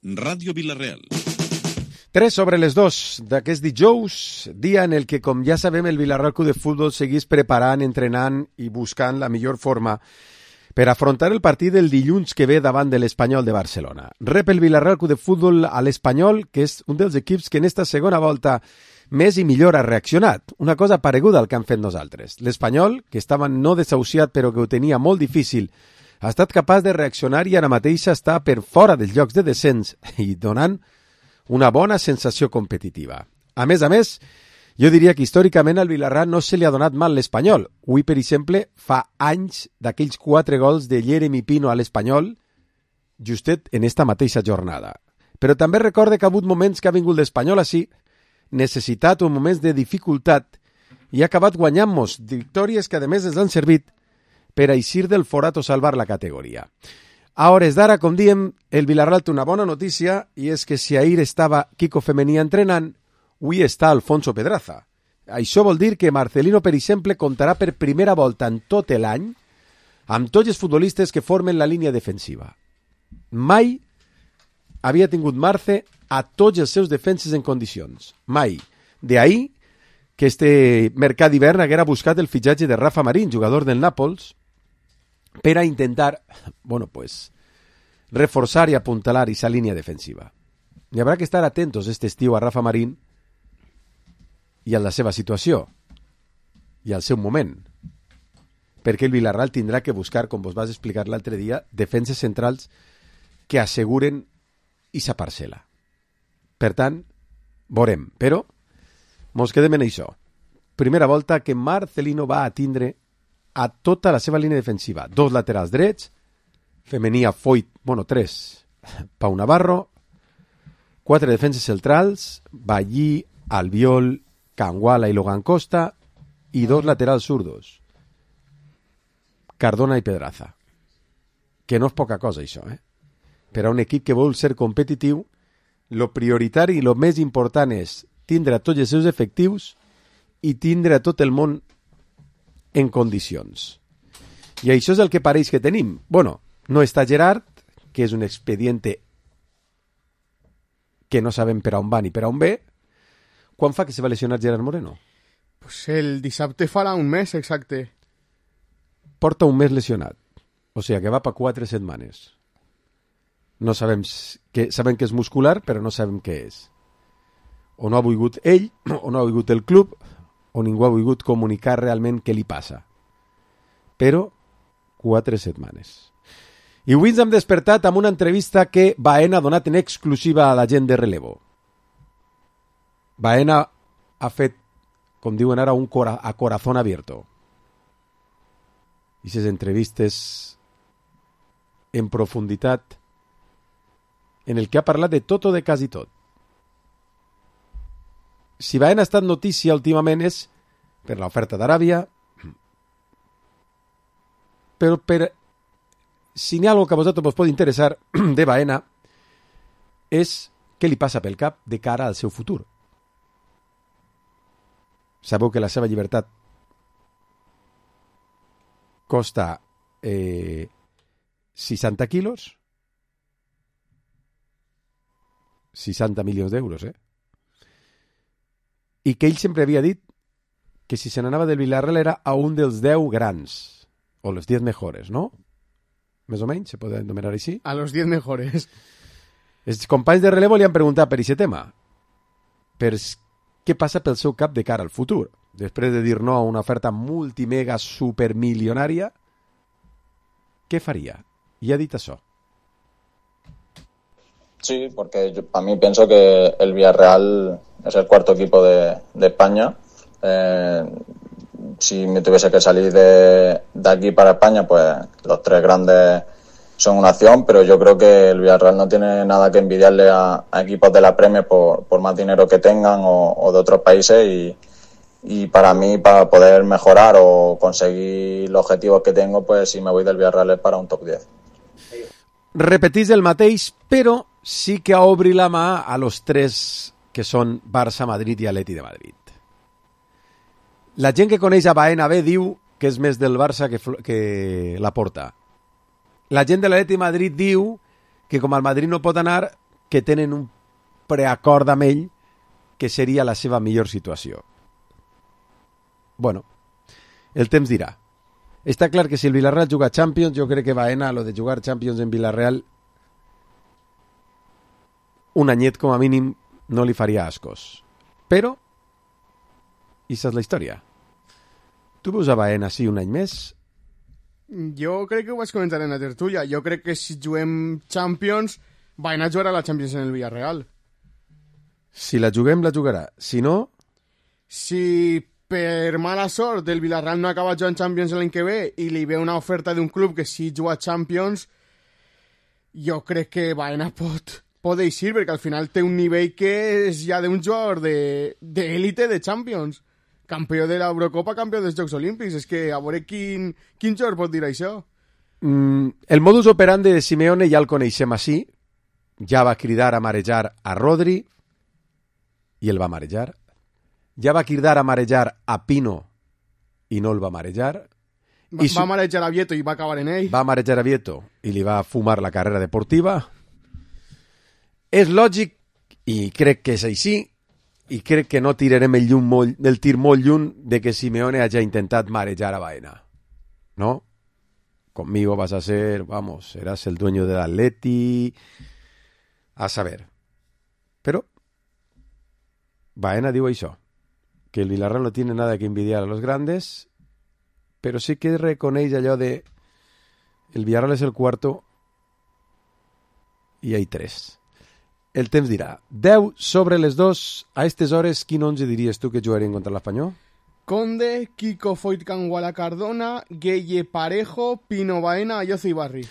Ràdio Vila-real. 3:02 d'aquest dijous, dia en el que, com ja sabem, el Vila-real Club de Futbol seguís preparant, entrenant i buscant la millor forma per afrontar el partit del dilluns que ve davant de l'Espanyol de Barcelona. Rep el Vila-real Club de Futbol a l'Espanyol, que és un dels equips que en esta segona volta més i millor ha reaccionat. Una cosa pareguda al que han fet nosaltres. L'Espanyol, que estava no desahuciat però que ho tenia molt difícil, ha estat capaç de reaccionar i ara mateix està per fora dels llocs de descens i donant una bona sensació competitiva. A més, jo diria que històricament al Vila-real no se li ha donat mal l'Espanyol. Avui, per exemple, fa anys d'aquells 4 gols de Jeremy Pino a l'Espanyol, justet en esta mateixa jornada. Però també recorde que ha hagut moments que ha vingut l'Espanyol així, necessitat o moments de dificultat, i ha acabat guanyant-nos victòries que a més ens han servit per eixir del forat o salvar la categoria. A hores d'ara, com diem, el Vila-real té una bona notícia i és que si ahir estava Kiko Femení entrenant, avui està Alfonso Pedraza. Això vol dir que Marcelino, per exemple, comptarà per primera volta en tot l'any amb tots els futbolistes que formen la línia defensiva. Mai havia tingut Marce a tots els seus defenses en condicions. Mai. D'ahir que este mercat d'hivern haguera buscat el fitxatge de Rafa Marín, jugador del Nàpols, per a intentar, reforçar i apuntalar esa línia defensiva. Hi haurà que estar atentos este estiu a Rafa Marín i a la seva situació i al seu moment, perquè el Vila-real tindrà que buscar, com vos vas explicar l'altre dia, defenses centrals que asseguren esa parcel·la. Per tant, veurem, però mos quedem en això. Primera volta que Marcelino va atindre a tota la seva línia defensiva. 2 laterals drets, Femení a Foyt, 3, Pau Navarro, 4 defenses centrals, Ballí, Albiol, Canguala i Logan Costa, i 2 laterals zurdos, Cardona i Pedraza. Que no és poca cosa, això, Per a un equip que vol ser competitiu, lo prioritari i lo més important és tindre a tots els seus efectius i tindre a tot el món en condicions. I això és el que pareix que tenim. No està Gerard, que és un expediente que no sabem per on va ni per on ve. Quan fa que se va lesionar Gerard Moreno? Pues el dissabte farà un mes, exacte. Porta un mes lesionat. O sigui que va per 4 setmanes. No sabem que és muscular, però no sabem què és. O no ha volgut ell, o no ha volgut el club, o ningú ha volgut comunicar realment què li passa. Però 4 setmanes. I avui ens hem despertat amb una entrevista que Baena ha donat en exclusiva a la gent de relevo. Baena ha fet, com diuen ara, a corazón abierto. I aquestes entrevistes en profunditat en el que ha parlat de tot o de quasi tot. Si Baena ha estat notícia últimament és per l'oferta d'Aràbia, però si n'hi ha alguna que a vosaltres vos pot interessar de Baena és què li passa pel cap de cara al seu futur. Sabeu que la seva llibertat costa 60 quilos, 60 milions d'euros, i que ell sempre havia dit que si se n'anava del Vila-real era a un dels 10 grans, o los 10 mejores, ¿no? Més o menys, se pot enumerar així. A los 10 mejores. Els companys de relevo li han preguntat per aquest tema, per què passa pel seu cap de cara al futur. Després de dir no a una oferta multimega supermilionària, què faria? I ha dit això. Sí, porque yo, para mí pienso que el Villarreal es el cuarto equipo de España. Si me tuviese que salir de aquí para España, pues los 3 grandes son una opción, pero yo creo que el Villarreal no tiene nada que envidiarle a equipos de la Premier por más dinero que tengan o de otros países y para mí, para poder mejorar o conseguir los objetivos que tengo, pues si me voy del Villarreal es para un top 10. Repetís el mateix, però sí que obri la mà a los 3 que són Barça, Madrid i Atleti de Madrid. La gent que coneix a Baena bé diu que és més del Barça que la porta. La gent de l'Atleti de Madrid diu que com el Madrid no pot anar, que tenen un preacord amb ell que seria la seva millor situació. Bueno, el temps dirà. Està clar que si el Villarreal juga Champions, jo crec que Baena, lo de jugar Champions en Villarreal, un anyet com a mínim no li faria ascos. Però, aquesta és la història. Tu veus a Baena sí un any més? Jo crec que ho vaig comentar en la tertúlia. Jo crec que si juguem Champions, Baena jugarà la Champions en el Villarreal. Si la juguem, la jugarà. Si no... Si per mala sort el Villarreal no acaba jugant Champions l'any que ve i li ve una oferta d'un club que sí juga Champions, jo crec que Baena pot eixir, perquè al final té un nivell que és ja d'un jugador d'élite de Champions. Campió de l'Eurocopa, campió dels Jocs Olímpics. És que a veure quin jugador pot dir això. El modus operandi de Simeone ja el coneixem així. Ja va cridar a marejar a Rodri i el va marejar. Ja va cridar a marejar a Pino i no el va marejar. Va marejar a Vieto i va acabar en ell. Va marejar a Vieto i li va fumar la carrera deportiva. És lògic, i crec que és així, i crec que no tirarem el tir molt lluny de que Simeone hagi intentat marejar a Baena. ¿No? Conmigo vas a ser, vamos, serás el dueño del Atleti, a saber. Però Baena diu això, que el Villarreal no tiene nada que envidiar a los grandes, pero sí que reconeix allò de el Villarreal es el cuarto y hay 3. El temps dirà. 10 sobre les 2. A aquestes hores, quin 11 diries tu que jugarien contra l'Espanyol? Conde, Kiko Foyt Canguala Cardona, Gueye Parejo, Pino Baena, Ayoce Ibarri.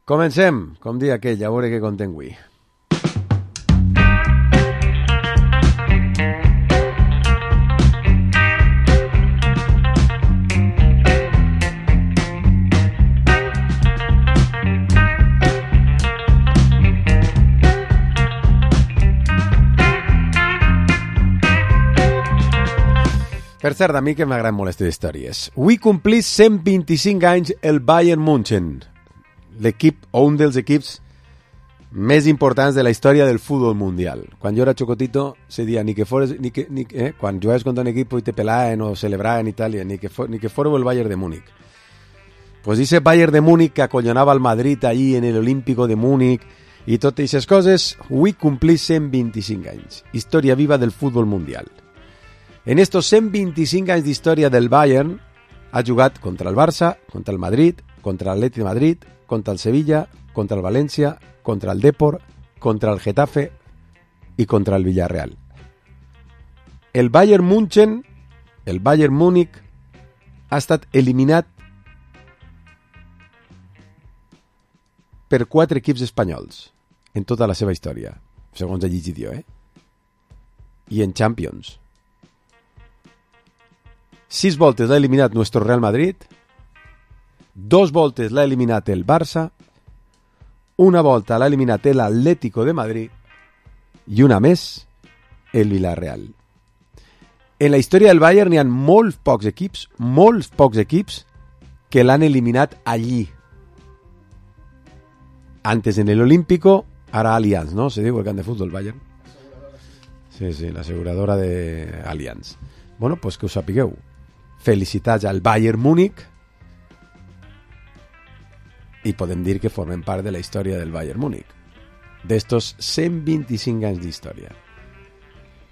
Comencem, com dia aquell, a veure què contem avui. Per cert, a mi que m'agraden molt aquestes històries. Avui complís 125 anys el Bayern München, l'equip o un dels equips més importants de la història del futbol mundial. Quan jo era xocotito, se dia ni que fores, quan jugaves contra un equip i te pelaven o celebraven i tal, ni que fos el Bayern de Múnich. Pues ese Bayern de Múnich que acollonava al Madrid allí en el Olímpico de Múnich i totes aquestes coses, avui complís 125 anys. Història viva del futbol mundial. En estos 125 anys d'història del Bayern ha jugat contra el Barça, contra el Madrid, contra l'Atleti de Madrid, contra el Sevilla, contra el València, contra el Depor, contra el Getafe i contra el Villarreal. El Bayern München, el Bayern Múnich, ha estat eliminat per 4 equips espanyols en tota la seva història, segons he llegit jo, I en Champions. 6 voltes l'ha eliminat nuestro Real Madrid, 2 voltes l'ha eliminat el Barça, una volta l'ha eliminat el Atlético de Madrid i una més el Villarreal. En la història del Bayern hi ha molts pocs equips que l'han eliminat allí. Antes en el Olímpico, ara Allianz, ¿no? Se diu el camp de futbol Bayern. Sí, la aseguradora de Allianz. Bueno, pues que us sapigueu. Felicitats al Bayern Múnich i podem dir que formen part de la història del Bayern Múnich, d'estos 125 anys d'història.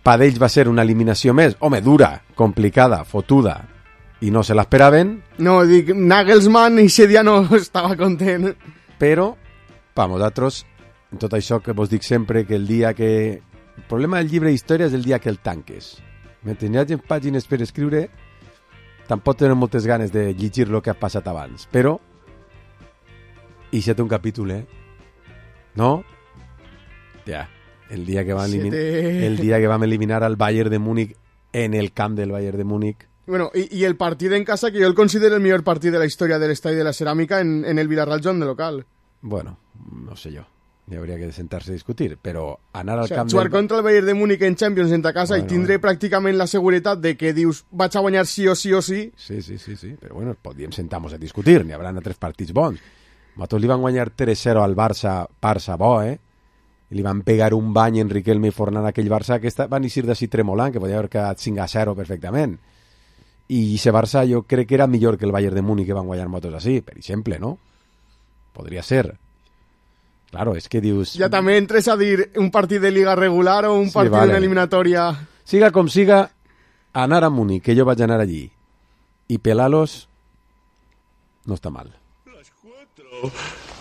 Per ells va ser una eliminació més, home, dura, complicada, fotuda, i no se l'esperaven. No, dic, Nagelsmann i ese dia no estava content. Però, per nosaltres, en tot això que vos dic sempre, que el dia que... El problema del llibre d'història és el dia que el tanques. Mentre hi hagi pàgines per escriure, tampoc tenen moltes ganes de llegir el que ha passat abans, però i si té un capítol, no? Ja, el dia que vam eliminar al Bayern de Múnich en el camp del Bayern de Múnich. Bueno, y el partit en casa, que jo el considero el millor partit de la història de l'estadi de la Ceràmica en el Villarreal Joan de local. Bueno, no sé jo. Hi hauria que sentar-se a discutir, però anar al camp... Jugar contra el Bayern de Múnich en Champions en ta casa i tindre pràcticament la seguretat de que dius vaig a guanyar sí o sí o sí. Sí, però bueno, podríem sentar-nos a discutir, n'hi haurà 3 partits bons. Nosaltres li van guanyar 3-0 al Barça bo, i li van pegar un bany en Riquelme i Fornal a aquell Barça que van eixir d'ací tremolant, que podia haver quedat 5-0 perfectament. I aquest Barça jo crec que era millor que el Bayern de Múnich, que van guanyar motos així, per exemple, no? Podria ser. Claro, és que dius... Ja també entres a dir un partit de Liga regular o un partit d'una eliminatòria... Siga com siga, anar a Múnich, que jo vaig anar allí, i pelar-los, no està mal. Las 4.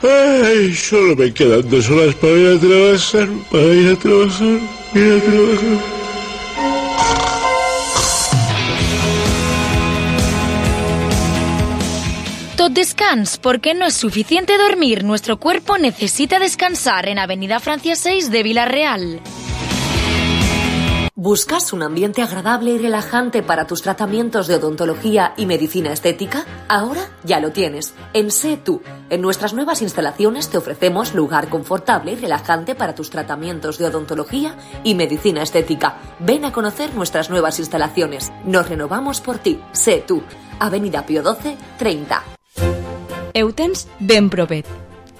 Ay, solo me quedan 2 horas para ir a trabajar, Tot descans, porque no es suficiente dormir. Nuestro cuerpo necesita descansar en Avenida Francia 6 de Villarreal. ¿Buscas un ambiente agradable y relajante para tus tratamientos de odontología y medicina estética? Ahora ya lo tienes. En Sé Tú. En nuestras nuevas instalaciones te ofrecemos lugar confortable y relajante para tus tratamientos de odontología y medicina estética. Ven a conocer nuestras nuevas instalaciones. Nos renovamos por ti. Sé Tú. Avenida Pío XII, 30. Eutens ben propet.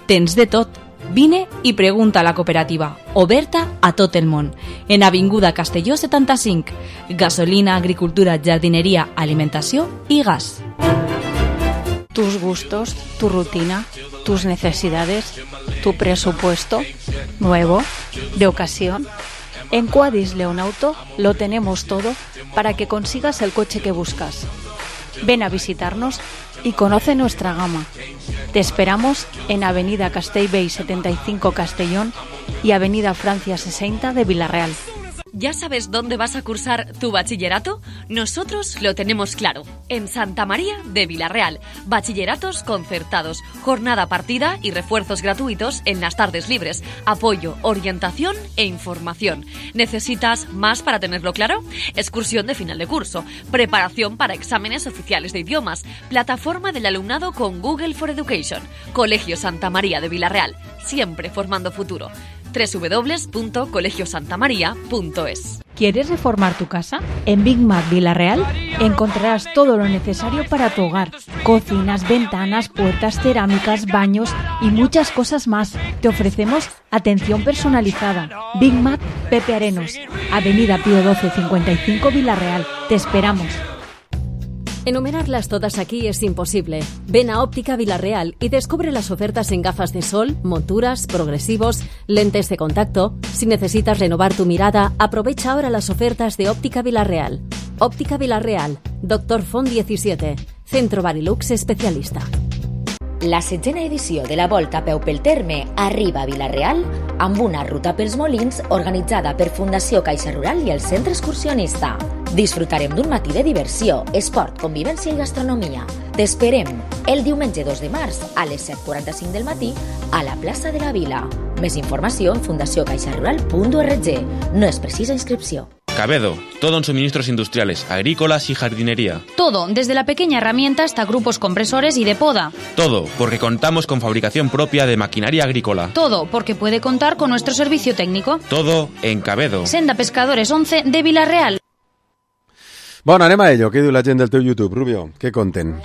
Tens de tot. Vine i pregunta a la cooperativa, oberta a tot el món. En Avinguda Castelló 75. Gasolina, agricultura, jardinería, alimentació i gas. Tus gustos, tu rutina, tus necesidades, tu presupuesto, nuevo, de ocasión. En Quadis Leonauto lo tenemos todo para que consigas el coche que buscas. Ven a visitarnos y conoce nuestra gama. Te esperamos en Avenida Castellbell 75 Castellón y Avenida Francia 60 de Villarreal. ¿Ya sabes dónde vas a cursar tu bachillerato? Nosotros lo tenemos claro. En Santa María de Villarreal. Bachilleratos concertados, jornada partida y refuerzos gratuitos en las tardes libres. Apoyo, orientación e información. ¿Necesitas más para tenerlo claro? Excursión de final de curso. Preparación para exámenes oficiales de idiomas. Plataforma del alumnado con Google for Education. Colegio Santa María de Villarreal. Siempre formando futuro. www.colegiosantamaria.es. ¿Quieres reformar tu casa? En Big Mac Villarreal encontrarás todo lo necesario para tu hogar. Cocinas, ventanas, puertas, cerámicas, baños y muchas cosas más. Te ofrecemos atención personalizada. Big Mac Pepe Arenos, Avenida Pío XII 55 Villarreal. Te esperamos. Enumerarlas todas aquí es imposible. Ven a Óptica Villarreal y descubre las ofertas en gafas de sol, monturas, progresivos, lentes de contacto. Si necesitas renovar tu mirada, aprovecha ahora las ofertas de Óptica Villarreal. Óptica Villarreal, Dr. Font 17, Centro Barilux especialista. La 7ª edició de la Volta a peu pel Terme arriba a Villarreal amb una ruta pels Molins organitzada per Fundació Caixa Rural i el Centre Excursionista. Disfrutarem d'un matí de diversió, esport, convivència i gastronomia. T'esperem el diumenge 2 de març a les 7:45 del matí a la plaça de la Vila. Més informació en fundaciocaixarural.org. No es precisa inscripció. Cabedo, todo en suministros industriales, agrícolas y jardinería. Todo, desde la pequeña herramienta hasta grupos compresores y de poda. Todo, porque contamos con fabricación propia de maquinaria agrícola. Todo, porque puede contar con nuestro servicio técnico. Todo en Cabedo. Senda Pescadores 11 de Villarreal. Bueno, anem a ello. Què diu la gent del teu YouTube, Rubio? Què conten?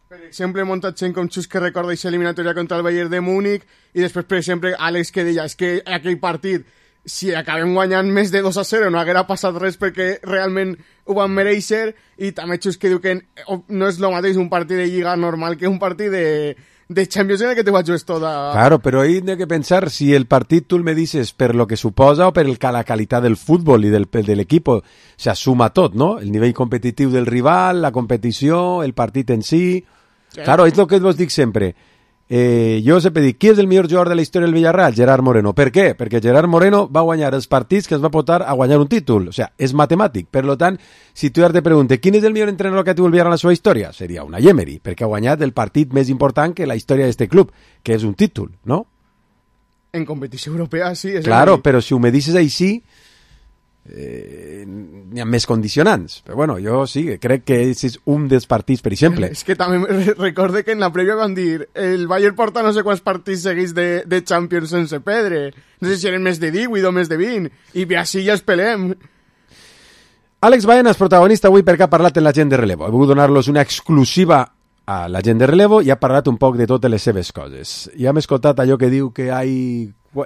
Per exemple, muntat gent com Xus que recorda aquesta eliminatòria contra el Bayern de Múnich i després, per exemple, Àlex que deia és que aquell partit, si acabem guanyant més de 2-0 no haguera passat res perquè realment ho van mereixer, i també Xus que diu que no és el mateix un partit de Lliga normal que un partit de Champions en el que te juegues toda... Claro, pero ahí hay que pensar si el partido tú me dices per lo que suposa o per la calidad del fútbol y del equipo, se asuma tot, ¿no? El nivell competitiu del rival, la competició, el partit en sí... Claro, és lo que vos dic sempre. Jo sempre dic, qui és el millor jugador de la història del Villarreal? Gerard Moreno. Per què? Perquè Gerard Moreno va guanyar els partits que es va portar a guanyar un títol. O sea, és matemàtic. Per lo tant, si tu ara te preguntes quin és el millor entrenador que ha tingut el Villarreal en la seva història, seria una Emery, perquè ha guanyat el partit més important que la història d'este club, que és un títol, no? En competició europea, sí. Claro, però si ho me dices així, n'hi ha més condicionants. Però bueno, jo sí, crec que és un dels partits, per exemple. És que també recorde que en la prèvia van dir el Bayern porta no sé quants partits seguits de Champions sense perdre. No sé si eren més de 18 o més de 20. I així ja es pelem. Àlex Baena és protagonista avui perquè ha parlat amb la gent de relevo. He volgut donar-los una exclusiva a la gent de relevo i ha parlat un poc de totes les seves coses. I hem escoltat allò que diu que hi ha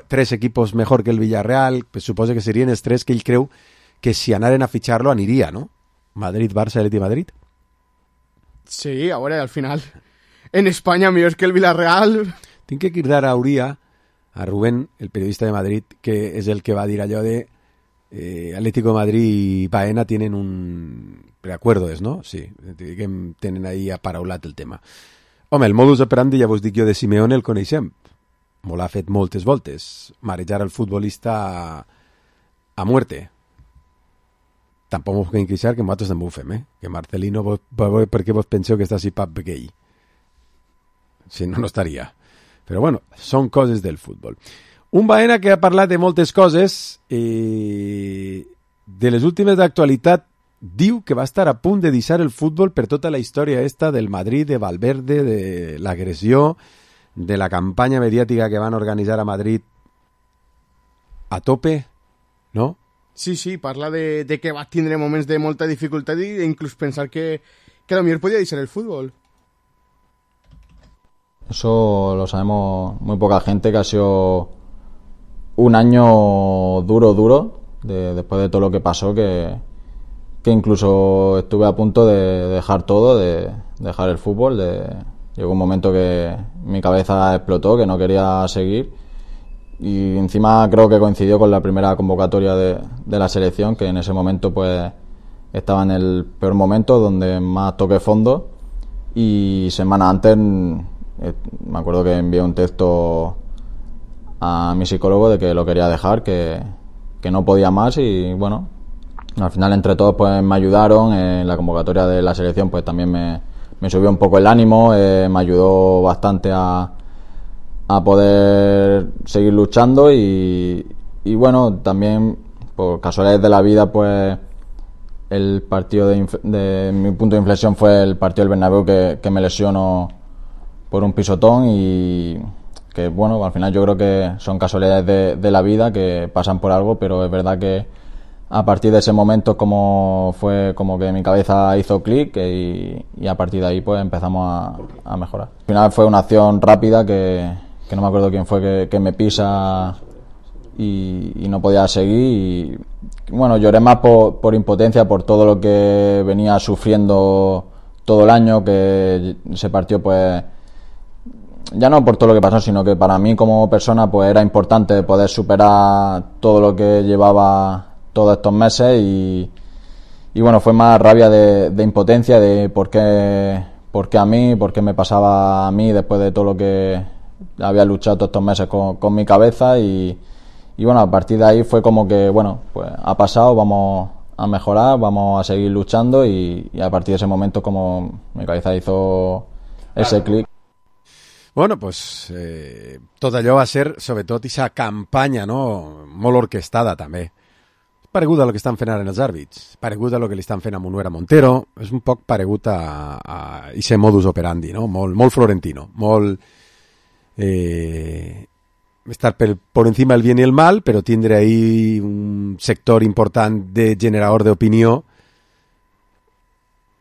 tres equipos mejor que el Villarreal, pues suposo que serien els tres que ell creu que si anaren a fitxar-lo aniria, no? Madrid, Barça, Atleti, Madrid. Sí, a veure, al final en Espanya millor que el Villarreal. Tinc que cridar a Rubén, el periodista de Madrid, que és el que va dir allò de Atlético de Madrid i Baena tienen un preacuerdo, no? Sí, que tenen ahí aparaulat el tema. Home, el modus operandi, ja vos dic jo, de Simeone el coneixem. Molt ha fet moltes voltes. Marejar el futbolista a muerte. Tampoc m'ho puc queixar que nosaltres també ho fem, Que Marcelino, per què vos penseu que està així pap gay? Si no, no estaria. Però bueno, són coses del futbol. Un Baena que ha parlat de moltes coses i de les últimes d'actualitat diu que va estar a punt de deixar el futbol per tota la història esta del Madrid, de Valverde, de l'agressió, de la campanya mediàtica que van organitzar a Madrid a tope, no? Sí, parla de que va tindre moments de molta dificultat i inclús pensar que a lo mejor podía deixar el fútbol. Eso lo sabemos muy poca gente, que ha sido un año duro, después de todo lo que pasó, que incluso estuve a punto de dejar todo, de dejar el fútbol. Llegó un momento que mi cabeza explotó, que no quería seguir, y encima creo que coincidió con la primera convocatoria de la selección, que en ese momento pues estaba en el peor momento, donde más toqué fondo, y semana antes me acuerdo que envié un texto a mi psicólogo de que lo quería dejar, que no podía más, y bueno, al final entre todos pues me ayudaron. En la convocatoria de la selección pues también me subió un poco el ánimo, me ayudó bastante a poder seguir luchando, y bueno, también por casualidades de la vida pues el partido de mi punto de inflexión fue el partido del Bernabéu, que me lesionó por un pisotón, y que bueno, al final yo creo que son casualidades de la vida que pasan por algo, pero es verdad que a partir de ese momento fue como que mi cabeza hizo clic, y a partir de ahí pues empezamos a mejorar. Al final fue una acción rápida que no me acuerdo quién fue que me pisa y no podía seguir, y bueno, lloré más por impotencia, por todo lo que venía sufriendo todo el año, que ese partido pues ya no por todo lo que pasó, sino que para mí como persona pues era importante poder superar todo lo que llevaba todos estos meses, y bueno, fue más rabia de impotencia, de por qué a mí, por qué me pasaba a mí después de todo lo que había luchado todos estos meses con mi cabeza, y bueno, a partir de ahí fue como que bueno, pues ha pasado, vamos a mejorar, vamos a seguir luchando, y a partir de ese momento como mi cabeza hizo ese clic. Bueno, pues tot allò va ser, sobretot, aquesta campanya, no?, molt orquestada, també. Paregut a lo que estan fent ara en els àrbits, paregut a lo que li estan fent a Munuera Montero, és un poc paregut a ese modus operandi, no?, molt florentino, molt estar por encima del bien y el mal, però tindre ahí un sector important de generador d'opinió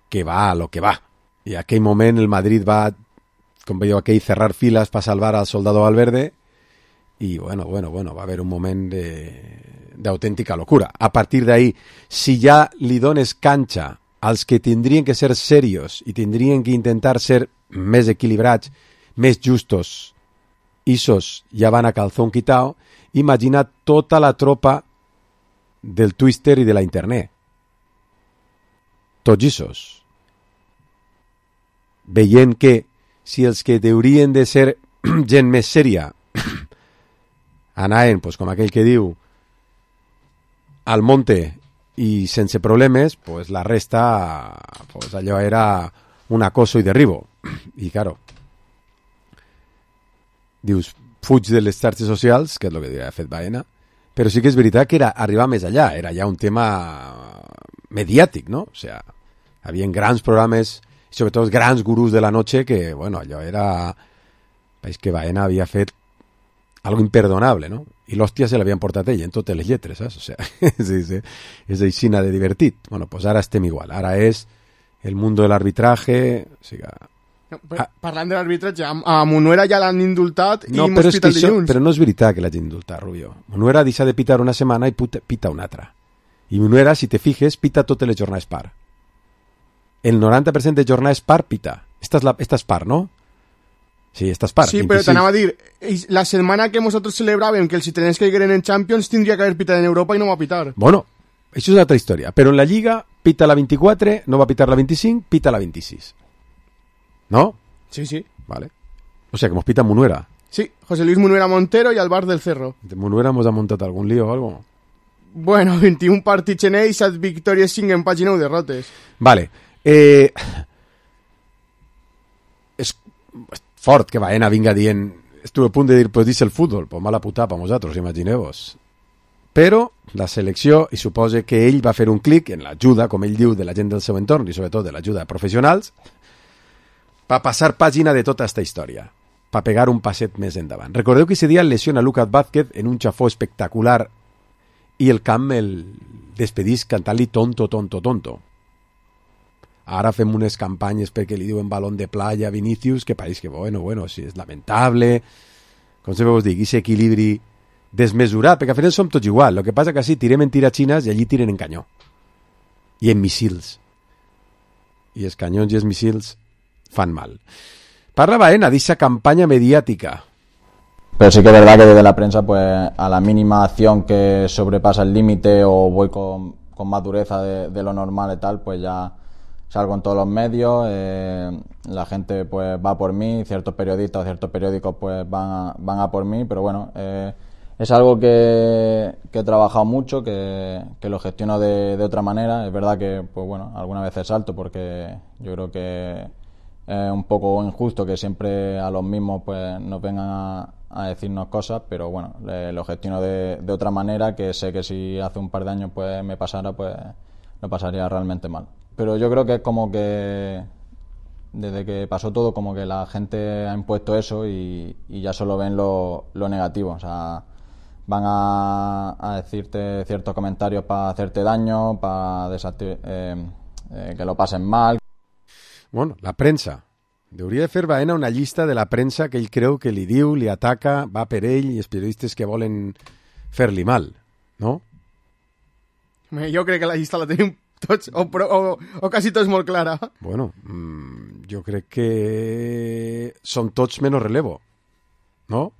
que va a lo que va. I en aquell moment el Madrid va, com veieu aquell, cerrar files per salvar al soldado Valverde, i bueno, va haver un moment d'autèntica locura. A partir d'ahí, si ja li dones canxa als que tindrien que ser serios i tindrien que intentar ser més equilibrats, més justos, isos ja van a calzón quitao, imagina tota la tropa del Twitter i de la internet. Tots isos. Veient que si els que deurien de ser gent més sèria anaven, pues, com aquell que diu, al monte i sense problemes, pues la resta, pues allò era un acoso i derribo. I claro, dius, fuig de les xarxes socials, que és el que ha fet Baena, però sí que és veritat que era arribar més allà, era ja un tema mediàtic, no? O sea, havia grans programes, i sobretot els grans gurús de la noche, que, bueno, allò era... És que Baena havia fet algo imperdonable, no? I l'hòstia se l'havien portat ell en totes les lletres, saps? O sea, sí, és aixina de divertit. Bueno, pues ara estem igual. Ara és el mundo del arbitraje, o sigui, Parlant de l'arbitratge, a Munuera ja l'han indultat no, i mos pita el dilluns. Però no és veritat que l'hagin indultat, Rubio. Munuera deixa de pitar una setmana i pita una altra. I Munuera, si te fijes, pita totes les jornades par. El 90% de jornades par pita. Esta és par, no? Sí, esta és par. Sí, 26. però t'anava a dir, la setmana que nosaltres celebràvem que els italians caigueren en Champions tindria que haver pitat en Europa i no va pitar. Bueno, això és una altra història. Però en la Lliga pita la 24, no va pitar la 25, pita la 26. ¿No? Sí, sí. Vale. O sea, que hemos pitado Munuera. Sí, José Luis Munuera Montero y Alvar del Cerro. ¿De Munuera hemos montado algún lío o algo? Bueno, 21 partits en ells, 7 victòries, 5 empats i 9 derrotes. Vale. És fort que Baena vinga dient... Estuve a punt de dir, pues dice el fútbol, pues mala puta per vosaltres, imagineu-vos. Però la selecció, i suposa que ell va fer un clic en l'ajuda, com ell diu, de la gent del seu entorn i sobretot de l'ajuda de professionals, per passar pàgina de tota esta història, per pegar un passet més endavant. Recordeu que ese dia lesiona Lucas Vázquez en un xafó espectacular i el camp el despedís cantant-li tonto, tonto, tonto. Ara fem unes campanyes perquè li diuen balón de playa a Vinícius, que pareix que, bueno, sí, és lamentable, com sempre vos dic, aquest equilibri desmesurat, perquè al final som tots igual, el que passa que sí, tirem en tiraxines i allí tiren en canyó. I en missils. I els canyons i els missils fan mal. Parla Baena d'esa campaña mediática. Pero sí que es verdad que desde la prensa, pues a la mínima acción que sobrepasa el límite o voy con más dureza de lo normal y tal, pues ya salgo en todos los medios, la gente pues va por mí, ciertos periodistas o ciertos periódicos pues van a por mí, pero bueno, es algo que he trabajado mucho, que lo gestiono de otra manera. Es verdad que pues bueno, algunas veces salto porque yo creo que es un poco injusto que siempre a los mismos pues nos vengan a decirnos cosas, pero bueno, lo gestiono de otra manera, que sé que si hace un par de años pues me pasara, pues lo pasaría realmente mal. Pero yo creo que es como que desde que pasó todo, como que la gente ha impuesto eso y ya solo ven lo negativo. O sea, van a decirte ciertos comentarios para hacerte daño, para que lo pasen mal. Bueno, la premsa. Hauria de fer Baena una llista de la premsa que ell creu que li diu, li ataca, va per ell i els periodistes que volen fer-li mal, no? Jo crec que la llista la tenim tots, o quasi tots molt clara. Bueno, jo crec que som tots menys relevo, no?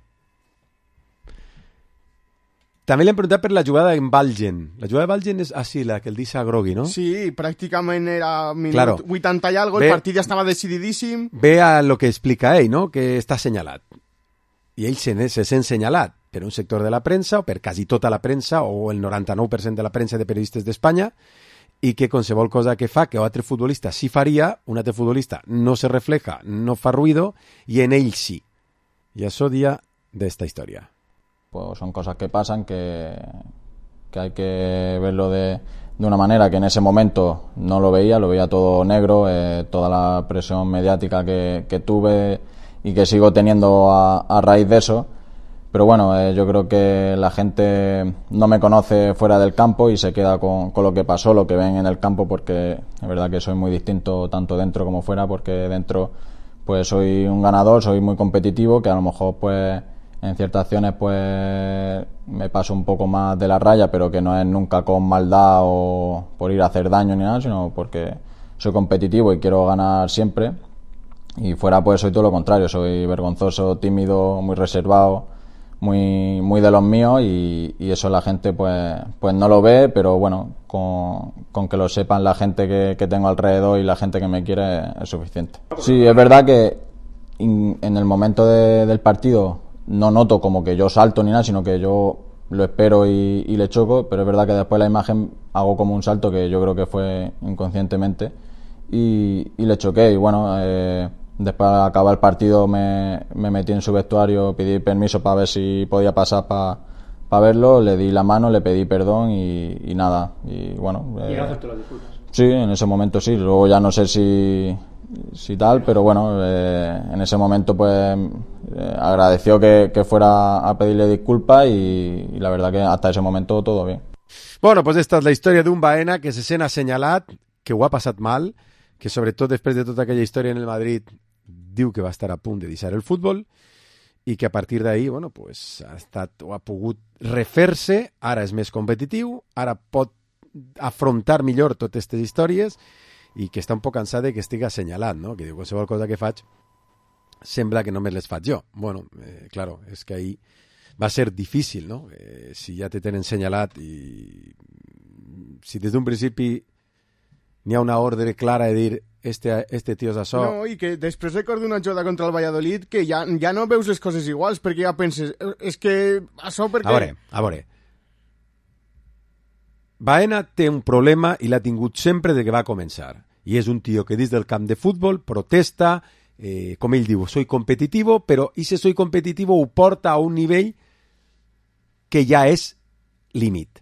També li hem preguntat per la jugada en Valgen. La jugada de Valgen és així, la que el deixa grogui, no? Sí, pràcticament era minut 80 i algo, el partit ja estava decididíssim. Ve a lo que explica ell, no? Que està assenyalat. I ell se sent assenyalat per un sector de la premsa, o per quasi tota la premsa, o el 99% de la premsa de periodistes d'Espanya, i que qualsevol cosa que fa que un altre futbolista sí faria, un altre futbolista no se refleja, no fa ruido, i en ell sí. I això dia d'esta història. Pues son cosas que pasan, que hay que verlo de una manera que en ese momento no lo veía todo negro, toda la presión mediática que tuve y que sigo teniendo a raíz de eso. Pero bueno, yo creo que la gente no me conoce fuera del campo y se queda con lo que pasó, lo que ven en el campo, porque es verdad que soy muy distinto tanto dentro como fuera, porque dentro pues soy un ganador, soy muy competitivo, que a lo mejor pues en ciertas acciones pues me paso un poco más de la raya, pero que no es nunca con maldad o por ir a hacer daño ni nada, sino porque soy competitivo y quiero ganar siempre. Y fuera pues soy todo lo contrario, soy vergonzoso, tímido, muy reservado, muy de los míos, y eso la gente pues no lo ve, pero bueno, con que lo sepan la gente que tengo alrededor y la gente que me quiere es suficiente. Sí, es verdad que en el momento del partido no noto como que yo salto ni nada, sino que yo lo espero y le choco, pero es verdad que después la imagen hago como un salto que yo creo que fue inconscientemente y le choqué. Y bueno, después de acabar el partido me metí en su vestuario, pedí permiso para ver si podía pasar para verlo, le di la mano, le pedí perdón y nada. Y bueno, ¿Y no aceptó las disculpas? Sí, en ese momento sí, luego ya no sé si tal, pero bueno, en ese momento pues agradeció que fuera a pedirle disculpas y la verdad que hasta ese momento todo bien. Bueno, pues esta és la història d'un Baena que se sent assenyalat, que ho ha passat mal, que sobretot després de tota aquella història en el Madrid diu que va estar a punt de deixar el futbol i que a partir d'ahir, bueno, pues, ha pogut refer-se, ara és més competitiu, ara pot afrontar millor totes aquestes històries i que està un poc cansat de que estigui assenyalat, no? Que diu, qualsevol cosa que faig sembla que només les faig jo. Bueno, claro, és que ahir va ser difícil, no? Si ja te tenen assenyalat i si des d'un principi n'hi ha una ordre clara de dir este tio és això... No, i que després recordo una jugada contra el Valladolid que ja no veus les coses iguals, perquè ja penses, és que això perquè... A veure. Baena té un problema i l'ha tingut sempre de que va començar. I és un tio que dins del camp de futbol protesta, com ell diu, soy competitivo, però ese soy competitivo ho porta a un nivell que ja és límit.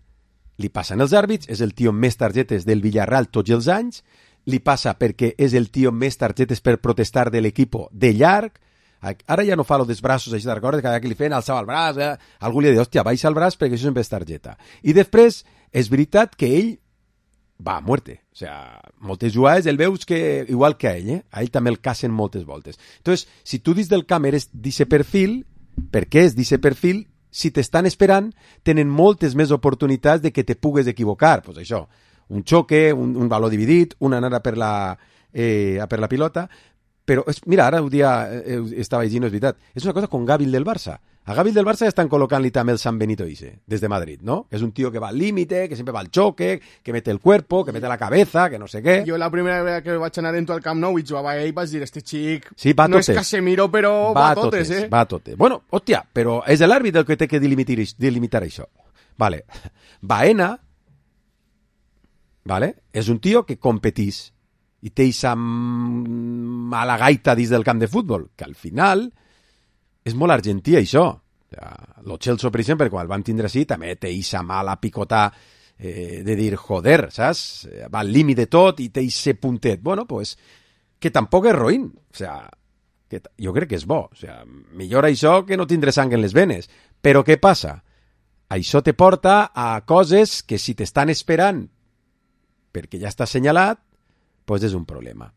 Li passen els àrbits, és el tio amb més targetes del Villarreal tots els anys, li passa perquè és el tio amb més targetes per protestar de l'equip de llarg, ara ja no fa lo dels braços, així de recordes, cada que li feien alçava el braç, algú li ha dit, hòstia, baixa el braç perquè això sempre és targeta. I després, és veritat que ell va a muerte, o sea, moltes jugades el veus que, igual que a ell també el cacen moltes voltes. Entonces, si tu dins del camp eres d'aquest perfil, per què és d'aquest perfil? Si t'estan esperant, tenen moltes més oportunitats de que te pugues equivocar. Pues això, un xoque, un valor dividit, una anada per la pilota, però mira, ara un dia estava llegint, és veritat, és una cosa con Gávil del Barça. A Gávil del Barça ja estan col·locant-li també el San Benito Ise, des de Madrid, ¿no? Que és un tío que va al límite, que sempre va al choque, que mete el cuerpo, que mete la cabeza, que no sé què. Jo la primera vegada que vaig anar dentro al Camp Nou i jugava ell vaig dir, este xic sí, no és Casemiro, però va a totes, Va a totes. Bueno, hòstia, però és l'àrbit el que té que delimitar això. Vale. Baena, vale, és un tio que competís i té eixa mala gaita dins del camp de futbol, que al final és molt argentí, això. Lo Chelsea, per exemple, quan el vam tindre així, també té eixa mala picotà de dir, joder, saps? Va al límit de tot i té eixe puntet. Bueno, pues, que tampoc és roïn. O sea, que jo crec que és bo. O sea, millor això que no tindre sang en les venes. Però què passa? Això te porta a coses que si t'estan esperant perquè ja està assenyalat, pues és un problema.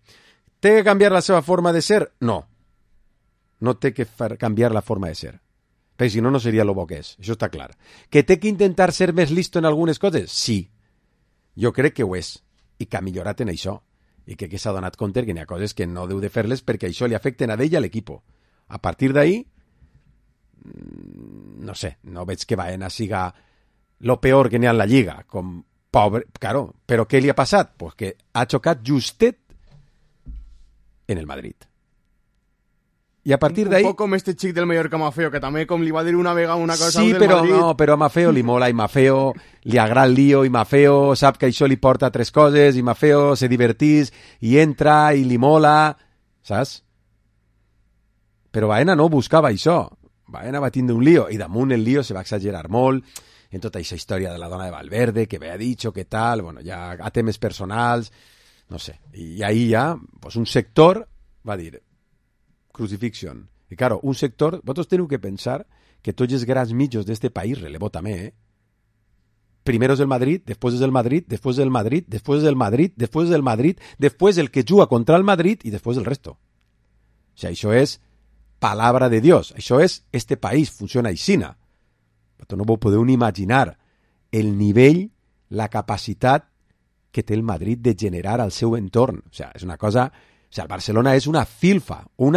Té que canviar la seva forma de ser? No. No té que canviar la forma de ser. Perquè si no, no seria lo bo que és. Això està clar. Que té que intentar ser més listo en algunes coses? Sí. Jo crec que ho és. I que ha millorat en això. I que s'ha donat compte que n'hi ha coses que no deu de fer-les perquè això li afecten a ell i a l'equip. A partir d'ahí, no sé, no veig que Baena siga lo peor que n'hi ha en la Lliga. Com pobre, claro. Però què li ha passat? Pues que ha xocat justet en el Madrid. I a partir d'ahí... Un poc com este xic del Mallorca Mafeo, que també com li va dir una vegada una cosa sí, del Madrid... No, però a Mafeo li mola i Mafeo li agrada el lío i Mafeo sap que això li porta a tres coses i Mafeo se divertís i entra i li mola, saps? Però Baena no buscava això. Baena va tindre un lío i damunt el lío se va exagerar molt en tota aquesta història de la dona de Valverde, que havia dit que tal, bueno, ja a temes personals, no sé. I ahí ja, pues un sector va dir... Crucifixion. I claro, un sector, vosaltres teniu que pensar que tots els grans mitjos d'este país, relevo també, Primero és el Madrid, després és el Madrid, després és el Madrid, després és el Madrid, després és el Madrid, després el que juga contra el Madrid i després el resto. O sigui, això és palabra de Dios. Això és, este país funciona aixina. Vosaltres no vos podeu ni imaginar el nivell, la capacitat que té el Madrid de generar al seu entorn. O sigui, és una cosa... O sea, el Barcelona és una filfa. O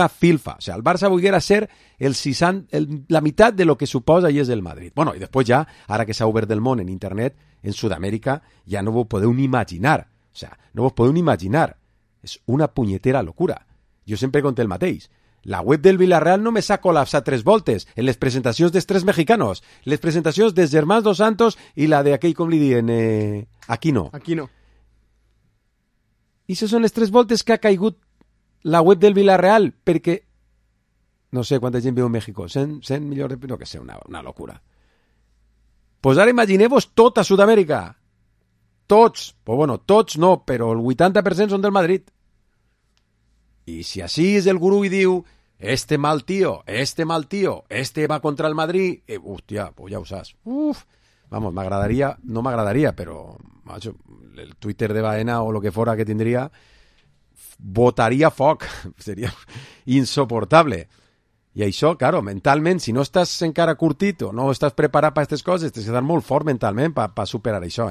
sea, el Barça volguera ser la meitat de lo que suposa i és el Madrid. Bueno, i després ja, ara que s'ha obert el món en internet, en Sud-amèrica, ja no vos podeu ni imaginar. O sea, no vos podeu ni imaginar. És una punyetera locura. Jo sempre conté el mateix. La web del Villarreal només s'ha col·lapsat 3 voltes en les presentacions dels 3 mexicanos, les presentacions dels germans Dos Santos i la d'aquell, com li diuen, Aquino. I això són les 3 voltes que ha caigut la web del Villarreal, perquè no sé quanta gent viu en México, 100 milions de... no que sé, una locura. Pues ara imagineu-vos tota Sud-amèrica. Tots, pues bueno, tots no, però el 80% són del Madrid. I si així és el gurú i diu este mal tío, este va contra el Madrid, hòstia, pues ja ho saps. Vamos, no m'agradaria, però macho, el Twitter de Baena o lo que fora que tindria, botaria foc, seria insoportable. I això, claro, mentalment, si no estàs encara curtit o no estàs preparat per aquestes coses, tens que estar molt fort mentalment per superar això,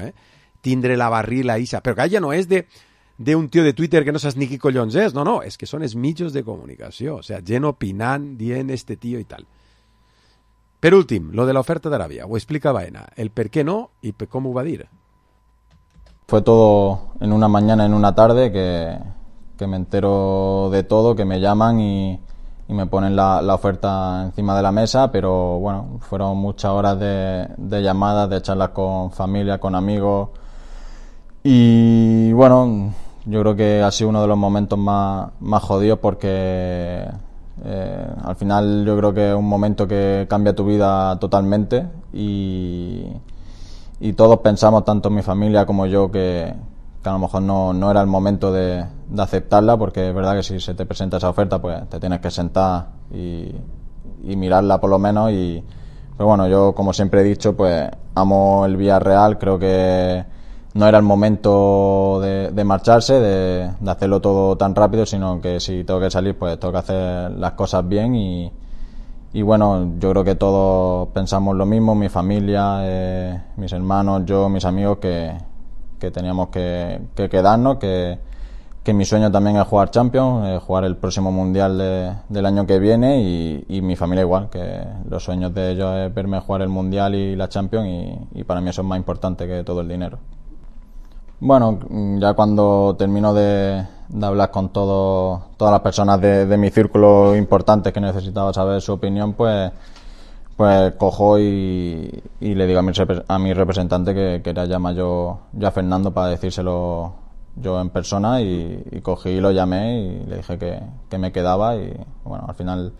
tindre la barrila isa. Però que ja no és d'un tio de Twitter que no saps ni qui collons és, no, és que són els mitjos de comunicació, o sea, gent opinant, dient este tio i tal. Per últim, lo de l'oferta d'Aràbia, ho explica Baena, el per què no i com ho va dir. Fue todo en una mañana, en una tarde, que me entero de todo, que me llaman y me ponen la oferta encima de la mesa, pero bueno, fueron muchas horas de llamadas, de charlas con familia, con amigos, y bueno, yo creo que ha sido uno de los momentos más jodidos porque al final yo creo que es un momento que cambia tu vida totalmente y todos pensamos, tanto mi familia como yo, que a lo mejor no era el momento de aceptarla, porque es verdad que si se te presenta esa oferta pues te tienes que sentar y mirarla por lo menos, pero bueno, yo como siempre he dicho, pues amo el Villarreal, creo que no era el momento de marcharse, de hacerlo todo tan rápido, sino que si tengo que salir pues tengo que hacer las cosas bien y bueno, yo creo que todos pensamos lo mismo, mi familia, mis hermanos, yo, mis amigos, que teníamos que quedarnos, que mi sueño también es jugar Champions, jugar el próximo Mundial del año que viene y mi familia igual, que los sueños de ellos es verme jugar el Mundial y la Champions y para mí eso es más importante que todo el dinero. Bueno, ya cuando termino de hablar con todas las personas de mi círculo importantes que necesitaba saber su opinión, pues cojo y le digo a mi representante que era llamar yo a Fernando para decírselo yo en persona y cogí y lo llamé y le dije que me quedaba y bueno, al final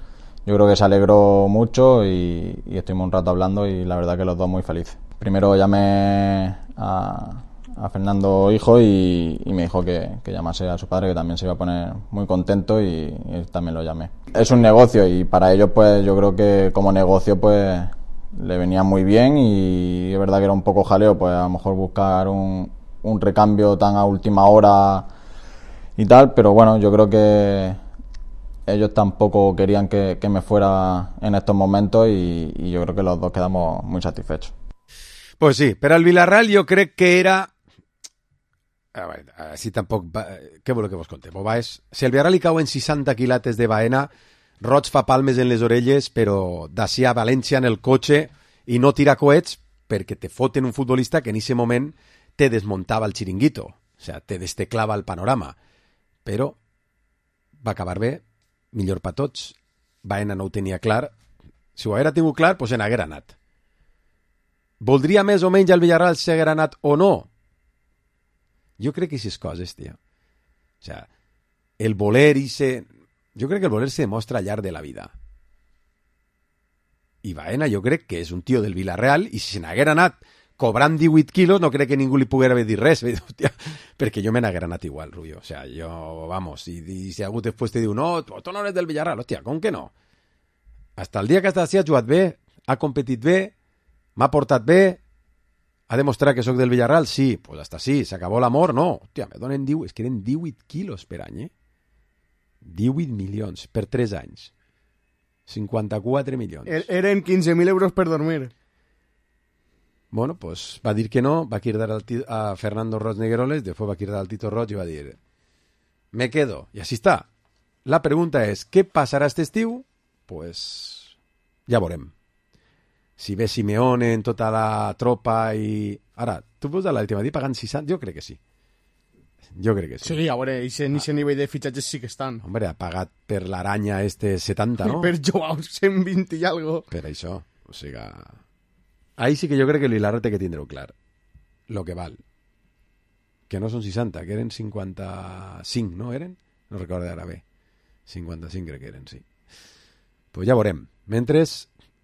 yo creo que se alegró mucho y estuvimos un rato hablando y la verdad que los dos muy felices. Primero llamé a Fernando hijo y me dijo que llamase a su padre, que también se iba a poner muy contento y también lo llamé. Es un negocio y para ellos pues yo creo que como negocio pues le venía muy bien y es verdad que era un poco jaleo pues a lo mejor buscar un recambio tan a última hora y tal, pero bueno, yo creo que ellos tampoco querían que me fuera en estos momentos y yo creo que los dos quedamos muy satisfechos. Pues sí, però el Villarreal jo crec que era... A veure, si tampoc... Què voleu que vos contem? Si el Villarreal li cauen 60 quilates de Baena, Roig fa palmes en les orelles, però d'ací a València en el cotxe i no tira coets perquè te foten un futbolista que en ese moment te desmontava el xiringuito, o sea, te desteclava el panorama. Però va acabar bé, millor per tots. Baena no ho tenia clar. Si ho haguera tingut clar, doncs en haguera anat. Voldria més o menys el Villarreal si haguera anat o no? Jo crec que aquestes coses, tio. O sea, el voler jo crec que el voler se demostra al llarg de la vida. I Baena jo crec que és un tio del Villarreal i si se n'haguera anat cobrant 18 quilos no crec que ningú li poguera haver dit res. Hòstia, perquè jo me n'haguera anat igual, Rubio. O sea, jo, vamos, i si algú després te diu no, tu no eres del Villarreal, hòstia, com que no? Hasta el dia que ha jugat bé, ha competit bé, m'ha portat bé, ha demostrat que sóc del Villarreal? Sí, pues hasta sí. ¿S'acabó l'amor? No. Hòstia, me donen 10... És que eren 18 quilos per any, 18 milions per 3 anys. 54 milions. Eren 15.000 euros per dormir. Bueno, pues va dir que no, va cridar a Fernando Roig Negueroles, després va cridar al Tito Roig i va dir me quedo. I així està. La pregunta és, què passarà aquest estiu? Pues ja veurem. Si ve Simeone en tota la tropa i... Ara, tu vols a l'última dia pagant 60? Jo crec que sí. Jo crec que sí. Sí, a veure, i en aquest nivell de fitxatges sí que estan. Hombre, ha pagat per l'Aranya 70, no? Per Joao 120 i algo. Per això. O sigui... Ahí sí que jo crec que el Villarreal té que tindre-ho clar. Lo que val. Que no són 60, que eren 55, no eren? No recordo ara bé. 55 crec que eren, sí. Pues ja veurem. Mentre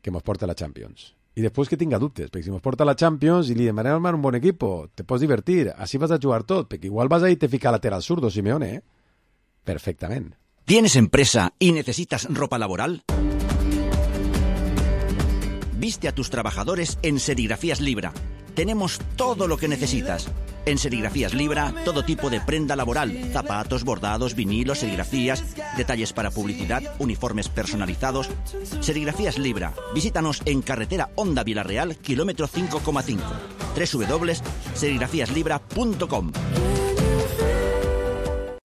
que mos porta la Champions. I després que tinga dubtes, perquè si mos porta la Champions i li demanem armar un bon equipo, te pots divertir, així vas a jugar tot, perquè igual vas a ir te ficar lateral zurdo, Simeone, ¿eh? Perfectament. ¿Tienes empresa y necesitas ropa laboral? Viste a tus trabajadores en Serigrafías Libra. Tenemos todo lo que necesitas. En Serigrafías Libra, todo tipo de prenda laboral, zapatos, bordados, vinilos, serigrafías, detalles para publicidad, uniformes personalizados. Serigrafías Libra. Visítanos en carretera Honda Villarreal, kilómetro 5,5. www.serigrafíaslibra.com.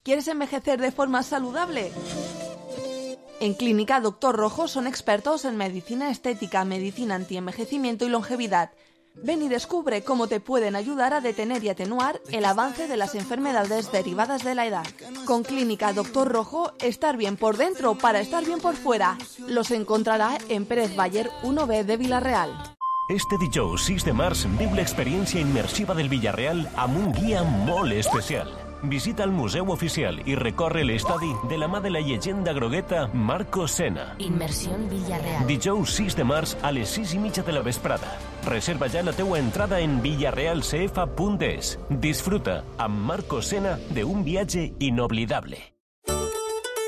¿Quieres envejecer de forma saludable? En Clínica Doctor Rojo son expertos en medicina estética, medicina antienvejecimiento y longevidad. Ven y descubre cómo te pueden ayudar a detener y atenuar el avance de las enfermedades derivadas de la edad. Con Clínica Doctor Rojo, estar bien por dentro para estar bien por fuera. Los encontrarà en Pérez Baller 1B de Villarreal. Este dijous 6 de març viu l'experiència immersiva del Villarreal amb un guia molt especial. Visita el Museu Oficial i recorre l'estadi de la mà de la llegenda grogueta Marco Senna. Inmersión Villarreal. Dijous 6 de març a les 6:30 de la vesprada. Reserva ja la teua entrada en villarrealcf.es. Disfruta amb Marco Senna de un viatge inoblidable.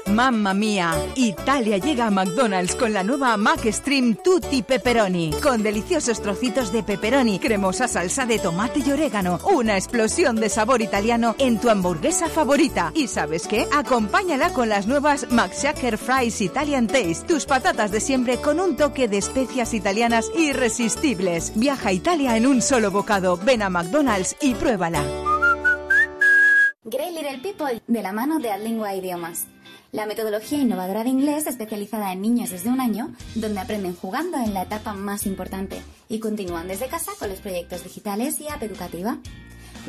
Mamma mía, Italia llega a McDonald's con la nueva McStream Tutti Pepperoni, con deliciosos trocitos de pepperoni, cremosa salsa de tomate y orégano, una explosión de sabor italiano en tu hamburguesa favorita. ¿Y sabes qué? Acompáñala con las nuevas McShaker Fries Italian Taste, tus patatas de siempre con un toque de especias italianas irresistibles. Viaja a Italia en un solo bocado. Ven a McDonald's y pruébala. Great Little People, de la mano de Adlingua Idiomas. La metodología innovadora de inglés especializada en niños desde 1 año, donde aprenden jugando en la etapa más importante y continúan desde casa con los proyectos digitales y app educativa.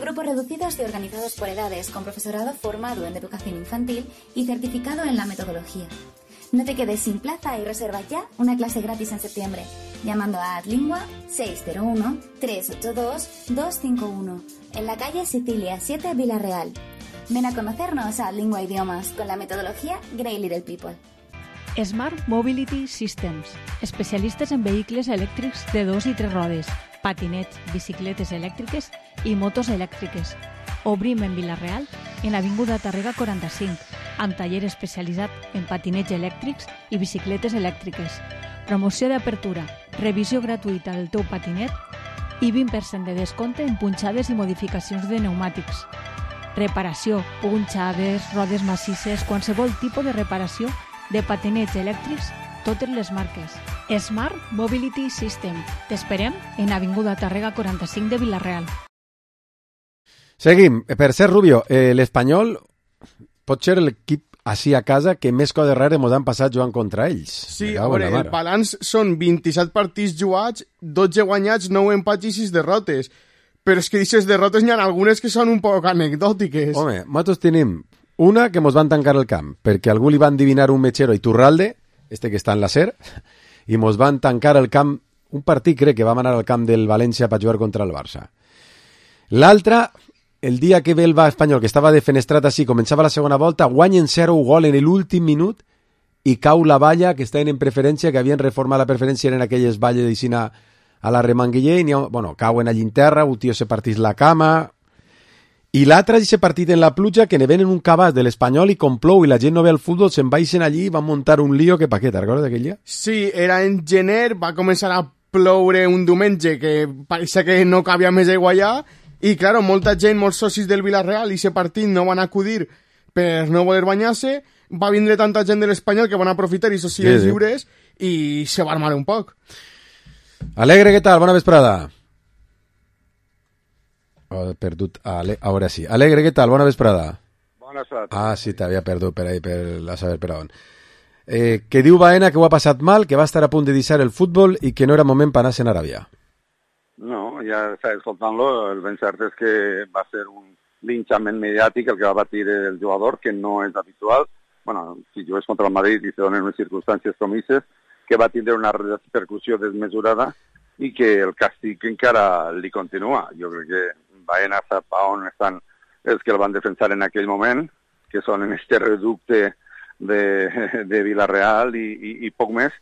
Grupos reducidos y organizados por edades, con profesorado formado en educación infantil y certificado en la metodología. No te quedes sin plaza y reserva ya una clase gratis en septiembre, llamando a Adlingua 601-382-251, en la calle Sicilia 7, Villarreal. Ven a conocernos a Lingua Idiomas con la metodología Great Little People. Smart Mobility Systems, especialistes en vehicles elèctrics de 2 i 3 rodes, patinets, bicicletes elèctriques i motos elèctriques. Obrim en Villarreal, en Avinguda Tàrrega 45, amb taller especialitzat en patinets elèctrics i bicicletes elèctriques. Promoció d'apertura, revisió gratuïta del teu patinet i 20% de descompte en punxades i modificacions de pneumàtics. Reparació, punxades, rodes massisses, qualsevol tipus de reparació de patinets elèctrics, totes les marques. Smart Mobility System. T'esperem en Avinguda Tàrrega 45 de Villarreal. Seguim. Per ser Rubio, l'Espanyol pot ser l'equip així a casa que més coses rares ens han passat jugant contra ells. Sí, a veure, el balanç són 27 partits jugats, 12 guanyats, 9 empats i 6 derrotes. Però és que d'aquestes derrotes n'hi ha algunes que són un poc anecdòtiques. Home, nosaltres tenim una que mos van tancar el camp, perquè algú li va endivinar un metgero a Iturralde, este que està en la SER, i mos van tancar el camp, un partit crec que vam anar al camp del València per jugar contra el Barça. L'altra, el dia que ve el Espanyol, que estava defenestrat així, començava la segona volta, guanyen 0 gol en l'últim minut i cau la valla, que estaven en preferència, que havien reformat la preferència en aquelles valles d'Ixina a la Remanguiller, i bueno, cauen allí en terra, un tio se partís la cama, i l'altre se partit en la pluja, que ne ven en un cabàs de l'Espanyol i com plou i la gent no ve al futbol, se'n baixen allí i van muntar un lío que pa què, te'n recordes d'aquell dia? Sí, era en gener, va començar a ploure un diumenge que pareixia que no cabia més aigua allà, i claro, molta gent, molts socis del Villarreal i aquest partit no van acudir per no voler banyar-se, va vindre tanta gent de l'Espanyol que van aprofitar i sos dies lliures i se va armar un poc. Alegre, què tal? Bona vesprada. Oh, perdut. Ara sí. Alegre, què tal? Bona vesprada. Bona vesprada. Ah, sí, t'havia perdut per ahí, per la saber per on. Que diu Baena que ho ha passat mal, que va estar a punt de deixar el futbol i que no era moment per anar-se'n a Aràbia. No, ja està escoltant-lo, el ben cert és que va ser un linxament mediàtic el que va patir el jugador, que no és habitual. Bueno, si jugués contra el Madrid i se donen unes circumstàncies promises, que va tindre una repercussió desmesurada i que el càstig encara li continua. Jo crec que Baena sap on estan els que el van defensar en aquell moment, que són en este reducte de Villarreal i poc més,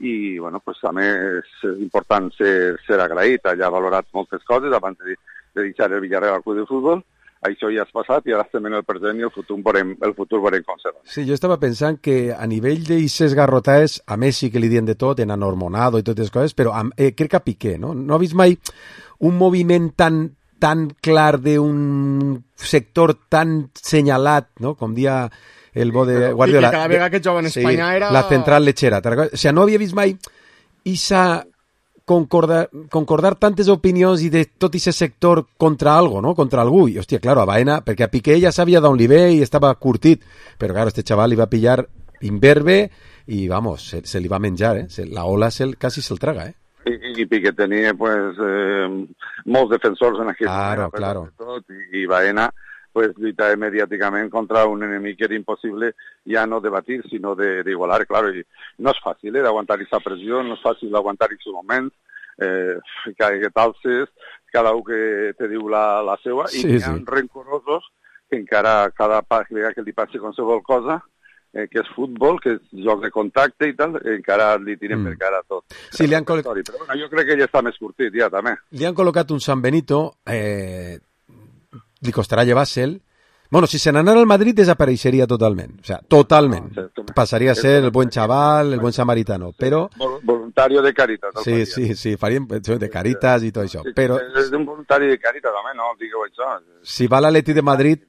i bueno, pues a més és important ser agraït. Allà ha valorat moltes coses abans de deixar el Villarreal al club de futbol. Això ja has passat i ara estem en el present i el futur veurem com serà. Sí, jo estava pensant que a nivell d'eixes garrotades, a Messi que li dien de tot, en anormonado i totes les coses, però crec que a Piqué, no? No ha vist mai un moviment tan tan clar d'un sector tan senyalat, no? Com dia el bo de Guardiola. I que cada vegada que jugava en Espanya era... La central lechera. O sigui, no havia vist mai Isa concordar tantes opinions i de tot aquest sector contra algo, no? Contra algú. I, hòstia, claro, a Baena, perquè a Piqué ja sabia d'on li ve i estava curtit, però, claro, este chaval li va pillar imberbe i, vamos, se li va menjar, la ola quasi se'l traga, I Piqué tenia, pues, molts defensors en aquest moment. Claro. I Baena, pues, lluitava mediàticament contra un enemic que era impossible ja no debatir, sinó d'igualar, claro, i no és fàcil d'aguantar aquesta pressió, no és fàcil d'aguantar aquests moments, que t'alces, cada un que te diu la seva, i hi ha rencorosos que encara cada vegada que li passi qualsevol cosa, que és futbol, que és joc de contacte i tal, encara li tiren per cara tot. Sí, li han Però bueno, jo crec que ja està més curtit, ja, també. Li han col·locat un San Benito, li costarà llevar-se'l. Bueno, si se n'anara al Madrid desapareixeria totalment. O sea, totalment. Passaria a ser el buen chaval, el buen samaritano, però... Voluntario de Caritas. Sí, faríem de Caritas i tot això. Però... És un voluntari de Caritas, home, no digueu això. Si va a l'Atleti de Madrid,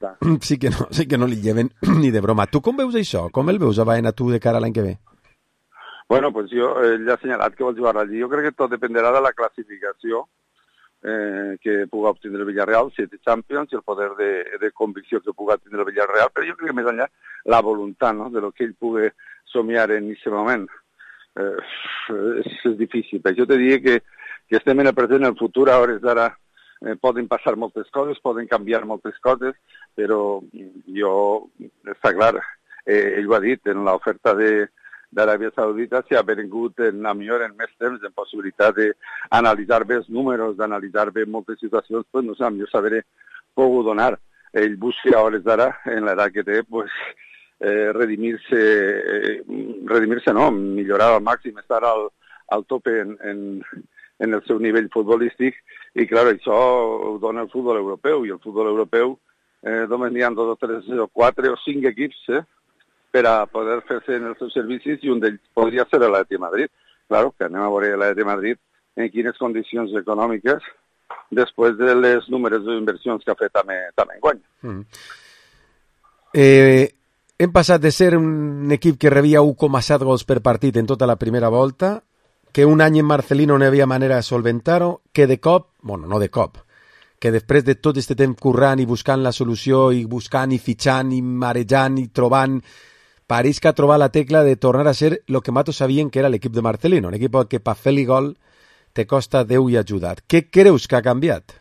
sí que no li lleven ni de broma. Tu com veus això? Com el veus a Baena tu de cara a l'any que ve? Bueno, pues jo ja he assenyalat que vol jugar allí. Jo crec que tot dependerà de la classificació que puga obtindre el Villarreal, 7 Champions, i el poder de convicció que puga obtindre el Villarreal, però jo crec que més enllà la voluntat, no?, de lo que ell pugui somiar en aquest moment. És difícil. Jo te diria que estem en el present, en el futur, a hores d'ara poden passar moltes coses, poden canviar moltes coses, però jo, està clar, ell ho ha dit, en l'oferta d'Aràbia Saudita s'ha vengut en més temps, en possibilitat d'analitzar bé els números, d'analitzar bé moltes situacions, pues no sé, a millor saber pogut donar. Ell busca a hores d'ara, en l'edat que té, pues, redimir-se no, millorar al màxim, estar al tope en el seu nivell futbolístic, i clar, això ho dona el futbol europeu, i el futbol europeu només n'hi ha 2 o 3 o 4 o 5 equips, per a poder fer-se en els seus servicis, i un d'ells podria ser l'Atleti de Madrid. Claro, que anem a veure l'Atleti de Madrid en quines condicions econòmiques després de les números d'inversions que ha fet també enguany. Hem passat de ser un equip que rebia 1,7 gols per partit en tota la primera volta, que un any en Marcelino no hi havia manera de solventar-ho, que de cop, bueno, no de cop, que després de tot aquest temps currant i buscant la solució, i buscant i fitxant i marejant i trobant, pareix que ha trobat la tecla de tornar a ser el que matos sabien que era l'equip de Marcelino, un equip que per fer-li gol te costa Déu i ajudat. Què creus que ha canviat?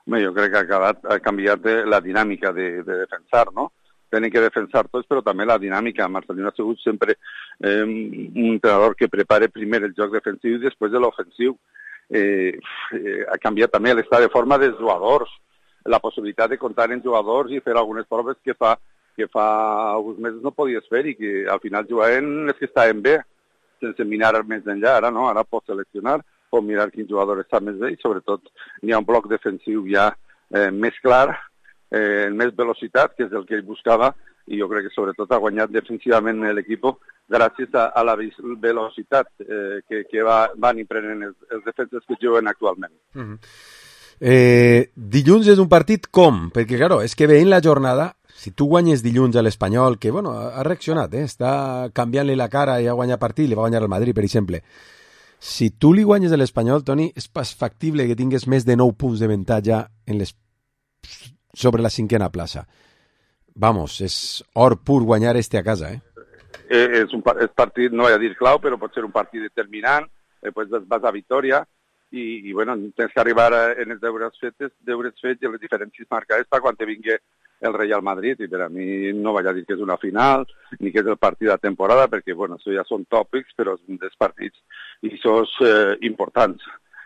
Bé, jo crec que ha canviat la dinàmica de defensar, no? Tenen que defensar tots, però també la dinàmica. Marcelino ha sigut sempre un entrenador que prepara primer el joc defensiu i després de l'ofensiu. Ha canviat també l'estat de forma dels jugadors, la possibilitat de comptar en jugadors i fer algunes proves que fa alguns mesos no podies fer, i que al final jugaven els que estaven bé, sense mirar més enllà. Ara no, ara pots seleccionar, pots mirar quin jugador està més bé, i sobretot n'hi ha un bloc defensiu ja més clar, amb més velocitat, que és el que ell buscava, i jo crec que sobretot ha guanyat defensivament l'equip gràcies a la velocitat que van imprenent els defenses que juguen actualment. Dilluns és un partit com? Perquè, claro, és que veient la jornada, si tu guanyes dilluns a l'Espanyol, que, bueno, ha reaccionat, està canviant-li la cara i ha guanyat partit, li va guanyar al Madrid, per exemple. Si tu li guanyes a l'Espanyol, Toni, és pas factible que tingues més de 9 punts d'avantatge sobre la 5a plaça. Vamos, és or pur guanyar a casa, És un partit, no vaig a dir clau, però pot ser un partit determinant, després vas a Vitòria, i bueno, tens que arribar en els deures fets i les diferències marcades per quan te vingui el Real Madrid, i per a mi no vaig a dir que és una final, ni que és el partit de temporada, perquè, bueno, això ja són tòpics, però són dels partits, i això és importants.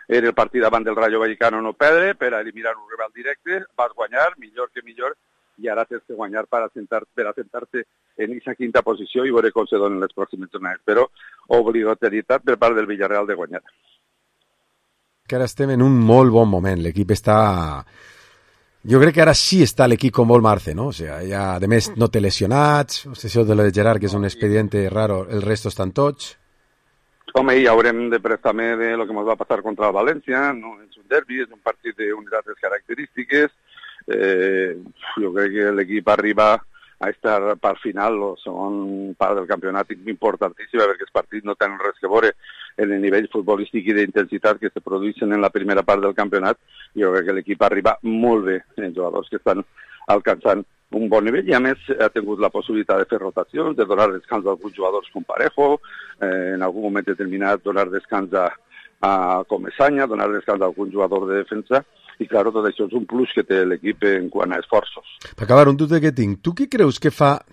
Era el partit davant del Rayo Vallecano no perdre, per a eliminar un rival directe, vas guanyar, millor que millor, i ara tens que guanyar per assentar-te en aquesta 5a posició i veure com se donen les pròximes jornades, però obligatorietat per part del Villarreal de guanyar. Que ara estem en un molt bon moment, l'equip està... Jo crec que ara sí està l'equip com vol Marce, ¿no? O sea, ja, a més, no té lesionats, això de lo de Gerard, que és un expediente raro, el resto estan tots. Home, i haurem de prestar també de lo que ens va passar contra el València, no és un derbi, és un partit d'unitats característiques. Jo crec que l'equip arriba a estar part final, la segona part del campionat importantíssima, perquè els partits no tenen res que veure en el nivell futbolístic i d'intensitat que se produeixen en la primera part del campionat. Jo crec que l'equip arriba molt bé, els jugadors que estan alcançant un bon nivell, i a més ha tingut la possibilitat de fer rotacions, de donar descans a alguns jugadors com Parejo, en algun moment determinat donar descans a Comesaña, donar descans a algun jugador de defensa, i clar, tot això és un plus que té l'equip en quant a esforços. Per acabar, un dubte que tinc. Tu què creus que fa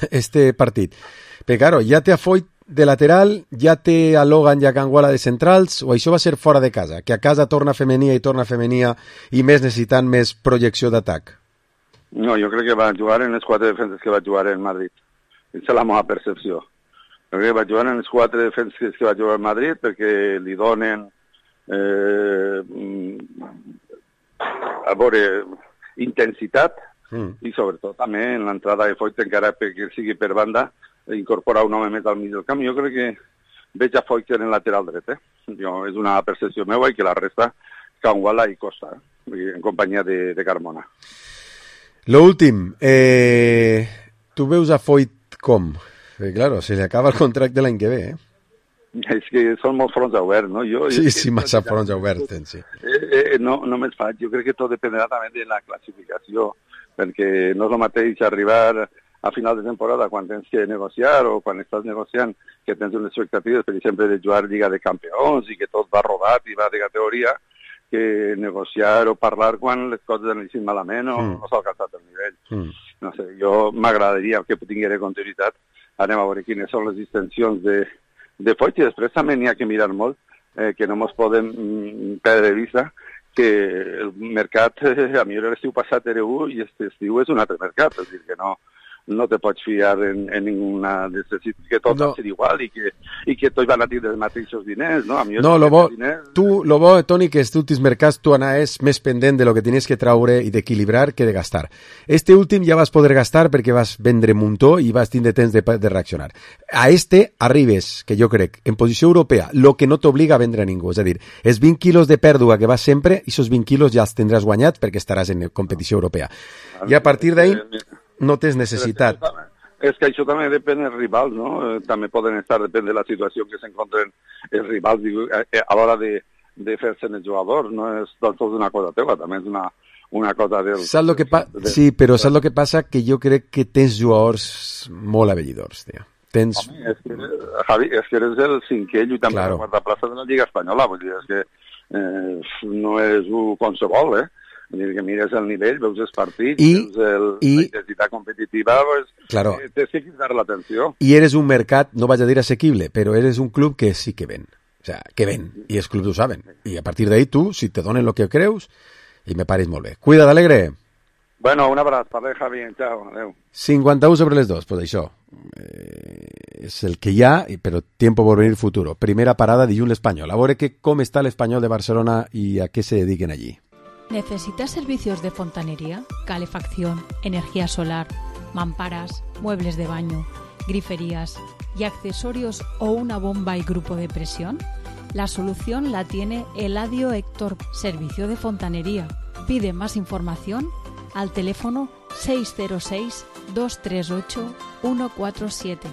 este partit? Perquè, claro, ja té a Foyt de lateral, ja té a Logan i a Canguala de centrals, o això va ser fora de casa? Que a casa torna femenia i més necessitant més projecció d'atac? No, jo crec que va jugar en les 4 defenses que va jugar en Madrid. Aquesta és la meva percepció. Jo crec que va jugar en les 4 defenses que va jugar en Madrid perquè li donen a veure intensitat i sobretot també en l'entrada de Foyt, encara que sigui per banda, incorporar un home més al mig del camp. Jo crec que veig a Foyt en el lateral dret. És una percepció meva, i que la resta Canguala i Costa, en companyia de Carmona. Lo últim, tu veus a Foyt com? Perquè, claro, se li acaba el contracte l'any que ve, És que són molts fronts oberts, no? Sí, massa fronts oberts, sí. No me'ls faig. Jo crec que tot dependrà també de la classificació, perquè no és el mateix arribar a final de temporada quan tens que negociar o quan estàs negociant, que tens unes expectatives, per exemple, de jugar Lliga de Campions i que tot va rodat i va de categoria, que negociar o parlar quan les coses han anat malament o no s'ha alcançat el nivell. No sé, jo m'agradaria que tingués continuïtat. Anem a veure quines són les distensions de Foyt, i després també n'hi ha que mirar molt, que no ens podem perdre de vista que el mercat, a mi l'estiu passat era un i aquest estiu és un altre mercat, és a dir, que no te pots fiar en ninguna necessitat, que tot va ser igual i que tots van a tenir els mateixos diners, no? No, lo bo, Toni, que els últims mercats tu anaves més pendent de lo que tenies que traure i d'equilibrar que de gastar. Este últim ja vas poder gastar perquè vas vendre muntó i vas tindre temps de reaccionar. A este arribes, que jo crec, en posició europea, lo que no t'obliga a vendre a ningú, és a dir, els 20 quilos de pèrdua que vas sempre, i esos 20 quilos ja els tindràs guanyat perquè estaràs en competició europea. I a partir d'ahí no tens necessitat. És que això també depèn dels rivals, no? També poden estar, depèn de la situació que s'encontren els rivals a l'hora de fer-se els jugadors, no és tot una cosa teva, també és una cosa del... Sí, però saps el que passa? Que jo crec que tens jugadors molt avellidors, tio. Home, Javi, és que eres el cinquè lluitant per la quarta plaça de la Lliga Espanyola, vull dir, és que no és qualsevol, Vull dir que mires el nivell, veus els partits, veus la intensitat competitiva, tens que cridar l'atenció. I eres un mercat, no vaig a dir assequible, però eres un club que sí que ven. O sea, que ven, i els clubs ho saben. I a partir d'ahí tu, si te donen el que creus, i me pares molt bé. Cuida't, Alegre. Bueno, un abraç, parlem, Javi, ciao, adeu. 51 sobre les 2, pues això. És el que hi ha, però tiempo por venir futuro. Primera parada dilluns l'Espanyol. A veure com està l'Espanyol de Barcelona i a què se dediquen allí. ¿Necesitas servicios de fontanería, calefacción, energía solar, mamparas, muebles de baño, griferías y accesorios o una bomba y grupo de presión? La solución la tiene Eladio Héctor, servicio de fontanería. Pide más información al teléfono 606 238 147.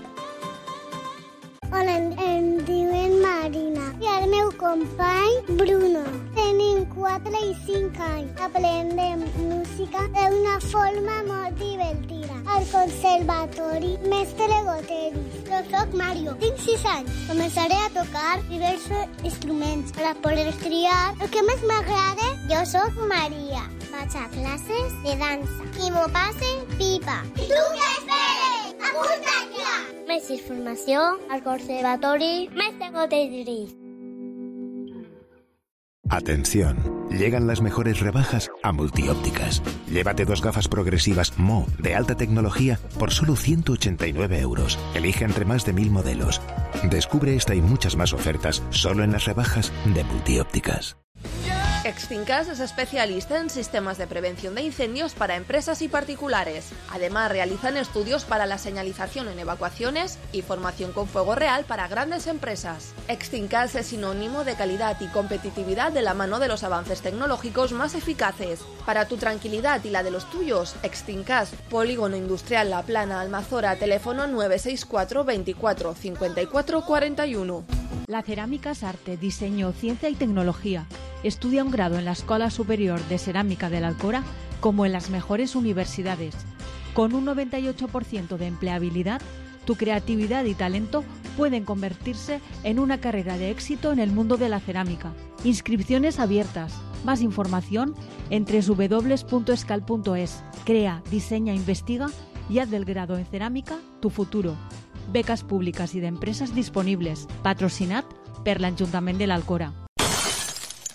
Hola, em diuen Marina i el meu company Bruno. Tenim 4 i 5 anys. Aprendem música d'una forma molt divertida. Al conservatori Mestre Goteri. Jo soc Mario, tinc 6 anys. Començaré a tocar diversos instruments per poder triar el que més m'agrada. Jo soc Maria. Vaig a classes de dansa. I m'ho passe pipa. I tu què esperes? Apunta't ja! Més informació al Conservatori Mestre Goteri. Atención, llegan las mejores rebajas a Multiópticas. Llévate 2 gafas progresivas Mo de alta tecnología por solo 189 €. Elige entre más de 1000 modelos. Descubre esta y muchas más ofertas solo en las rebajas de Multiópticas. Extincas es especialista en sistemas de prevención de incendios para empresas y particulares. Además, realizan estudios para la señalización en evacuaciones y formación con fuego real para grandes empresas. Extincas es sinónimo de calidad y competitividad de la mano de los avances tecnológicos más eficaces. Para tu tranquilidad y la de los tuyos, Extincas, Polígono Industrial La Plana, Almazora, teléfono 964 24 54 41. La cerámica es arte, diseño, ciencia y tecnología. Estudia un grado en la Escuela Superior de Cerámica de la Alcora como en las mejores universidades. Con un 98% de empleabilidad, tu creatividad y talento pueden convertirse en una carrera de éxito en el mundo de la cerámica. Inscripciones abiertas. Más información en www.escal.es. Crea, diseña, investiga y haz del grado en cerámica tu futuro. Becas públicas y de empresas disponibles. Patrocinat per l'Ajuntament de l'Alcora.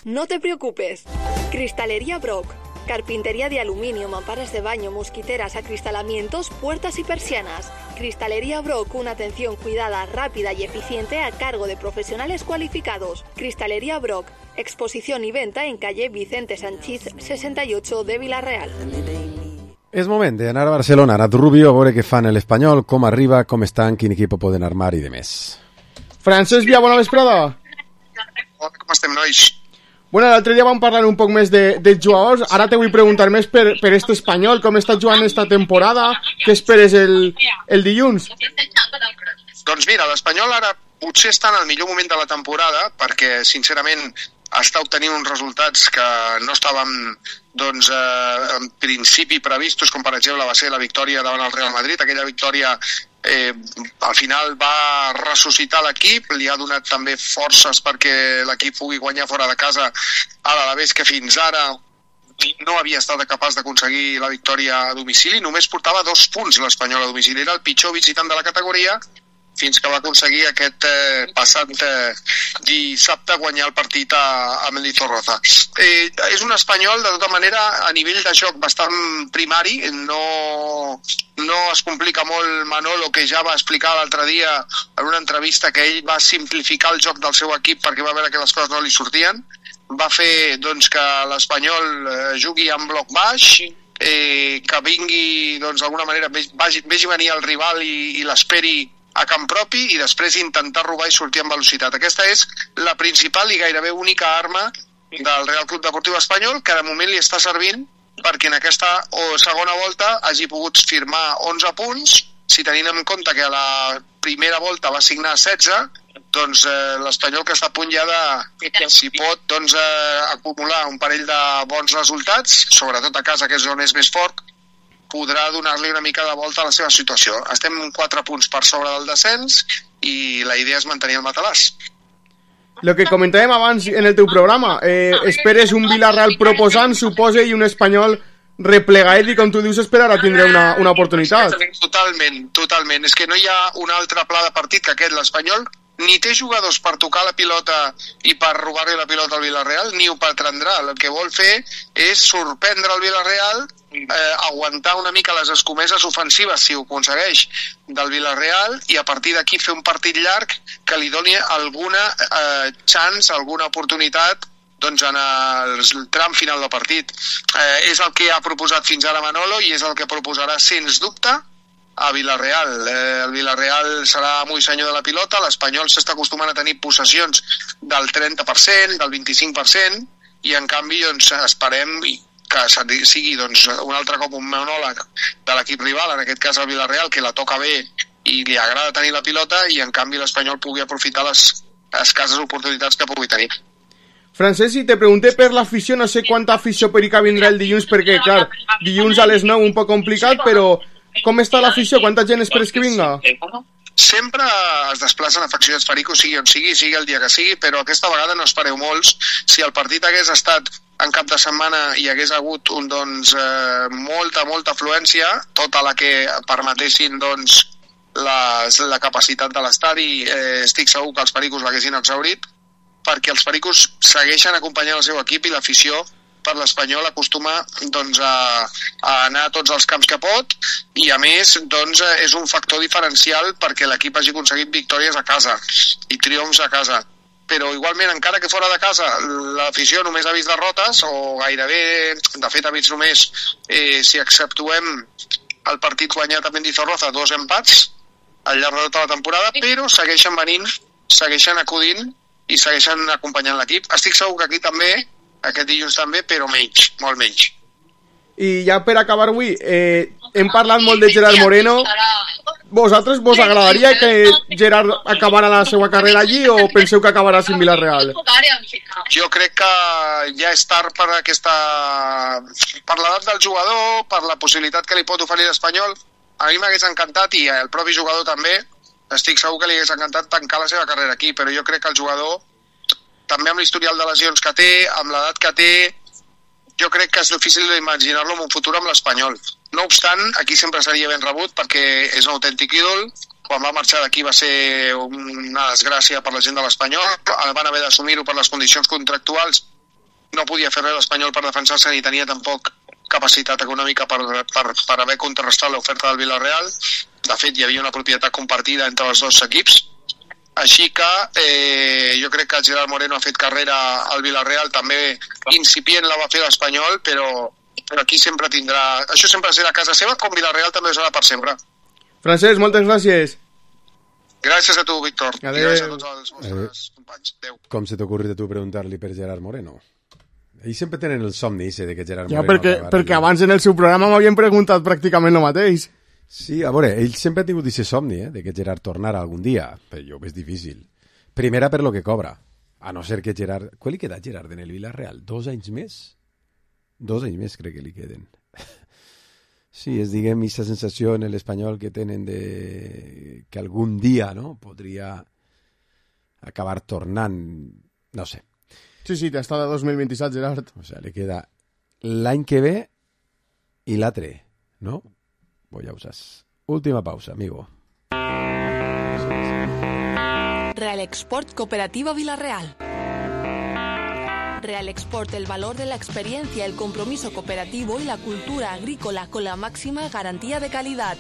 No te preocupes. Cristalería Brock. Carpintería de aluminio, mamparas de baño, mosquiteras, acristalamientos, puertas y persianas. Cristalería Brock, una atención cuidada, rápida y eficiente a cargo de profesionales cualificados. Cristalería Brock, exposición y venta en calle Vicente Sanchís 68 de Vila-real. És moment d'anar a Barcelona, a Nat Rubio, a veure què fan l'Espanyol, com arriba, com estan, quin equip poden armar i de més. Francesc Via, bona vesprada. Hola, com estem, nois? Bueno, l'altre dia vam parlar un poc més de jugadors, ara te vull preguntar més per este Espanyol, com està jugant esta temporada, què esperes el dilluns? Doncs mira, l'Espanyol ara potser està en el millor moment de la temporada, perquè sincerament està obtenint uns resultats que no estàvem doncs, en principi previstos, com per exemple va ser la victòria davant el Real Madrid. Aquella victòria al final va ressuscitar l'equip, li ha donat també forces perquè l'equip pugui guanyar fora de casa a l'Alavés, que fins ara no havia estat capaç d'aconseguir la victòria a domicili. Només portava 2 punts l'Espanyol a domicili, era el pitjor visitant de la categoria, fins que va aconseguir aquest passat dissabte guanyar el partit a Mendizorroza. És un Espanyol, de tota manera, a nivell de joc bastant primari, no es complica molt Manolo, que ja va explicar l'altre dia en una entrevista que ell va simplificar el joc del seu equip perquè va veure que les coses no li sortien. Va fer doncs, que l'Espanyol jugui en bloc baix, que vingui d'alguna manera, vegi venir el rival i l'esperi a camp propi i després intentar robar i sortir amb velocitat. Aquesta és la principal i gairebé única arma del Real Club Deportiu Espanyol, que de moment li està servint perquè en aquesta segona volta hagi pogut firmar 11 punts. Si tenim en compte que a la primera volta va signar 16, doncs l'Espanyol, que està a punt ja de, si pot, acumular un parell de bons resultats, sobretot a casa, que és on és més fort, podrà donar-li una mica de volta a la seva situació. Estem 4 punts per sobre del descens i la idea és mantenir el matalàs. Lo que comentàvem abans en el teu programa, esperes un Villarreal proposant, suposa, i un Espanyol replegat, i com tu dius, esperarà tindre una oportunitat. Totalment. És que no hi ha un altre pla de partit que aquest. L'Espanyol ni té jugadors per tocar la pilota i per robar-li la pilota al Villarreal, ni ho pretendrà. El que vol fer és sorprendre el Villarreal, aguantar una mica les escomeses ofensives, si ho aconsegueix, del Villarreal, i a partir d'aquí fer un partit llarg que li doni alguna chance, alguna oportunitat doncs, en el tram final del partit. És el que ha proposat fins ara Manolo i és el que proposarà, sens dubte, a Villarreal. El Villarreal serà amo i senyor de la pilota, l'Espanyol s'està acostumant a tenir possessions del 30%, del 25%, i en canvi doncs, esperem que sigui un altre cop un monòleg de l'equip rival, en aquest cas el Villarreal, que la toca bé i li agrada tenir la pilota, i en canvi l'Espanyol pugui aprofitar les escasses oportunitats que pugui tenir. Francesc, si te pregunté per l'afició, no sé quanta afició perica vindrà el dilluns, perquè, clar, dilluns a les 9 un poc complicat, però com està l'afició? Quanta gent esperes que vinga? Sempre es desplacen afeccionats perico, sigui on sigui el dia que sigui, però aquesta vegada no espereu molts. Si el partit hagués estat en cap de setmana i hagués hagut molta afluència, tota la que permetessin la capacitat de l'estadi, estic segur que els pericos l'haguessin exhaurit, perquè els pericos segueixen acompanyant el seu equip i l'afició per l'Espanyol acostuma a anar a tots els camps que pot, i a més és un factor diferencial perquè l'equip hagi aconseguit victòries a casa i triomfs a casa. però igualment, encara que fora de casa, l'afició només ha vist derrotes, o gairebé, de fet ha vist només, si exceptuem el partit guanyat a Mendizorroza, 2 empats al llarg de tota la temporada, però segueixen venint, segueixen acudint i segueixen acompanyant l'equip. Estic segur que aquí també, aquest dilluns també, però menys, molt menys. I ja per acabar avui, hem parlat molt de Gerard Moreno. Vosaltres vos agradaria que Gerard acabara la seva carrera allí o penseu que acabarà sin Villarreal? Jo crec que ja és tard per l'edat del jugador, per la possibilitat que li pot oferir l'Espanyol. A mi m'hagués encantat, i el propi jugador també, estic segur que li hagués encantat tancar la seva carrera aquí, però jo crec que el jugador, també amb l'historial de lesions que té, amb l'edat que té, jo crec que és difícil d'imaginar-lo en un futur amb l'Espanyol. No obstant, aquí sempre seria ben rebut perquè és un autèntic ídol. Quan va marxar d'aquí va ser una desgràcia per la gent de l'Espanyol. Van haver d'assumir-ho per les condicions contractuals. No podia fer res l'Espanyol per defensar-se ni tenia tampoc capacitat econòmica per haver contrarrestat l'oferta del Villarreal. De fet, hi havia una propietat compartida entre els dos equips. Així que jo crec que Gerard Moreno ha fet carrera al Villarreal, també incipient la va fer l'Espanyol, però aquí sempre tindrà... Això sempre serà casa seva, com Villarreal també serà per sempre. Francesc, moltes gràcies. Gràcies a tu, Víctor. Adeu. I gràcies a tots els vostres companys. Adéu. Com se t'ha ocorrit a tu preguntar-li per Gerard Moreno? Ells sempre tenen el somni ese de que Gerard Ja, Moreno... perquè abans en el seu programa m'havien preguntat pràcticament el mateix. Sí, a veure, ell sempre ha tingut aquest somni, de que Gerard tornara algun dia, però jo ho veig difícil. Primera per lo que cobra, a no ser que Gerard... Quan li queda a Gerard en el Villarreal? 2 anys més? 2 anys més crec que li queden. Sí, és, diguem, aquesta sensació en l'Espanyol que tenen de que algun dia, no?, podria acabar tornant, no sé. Sí, hasta de 2027, Gerard. O sea, le queda l'any que ve i l'altre, no? Voy a usar. Última pausa, amigo. Real Export Cooperativa Villarreal. Real Export, el valor de la experiencia, el compromiso cooperativo y la cultura agrícola con la máxima garantía de calidad.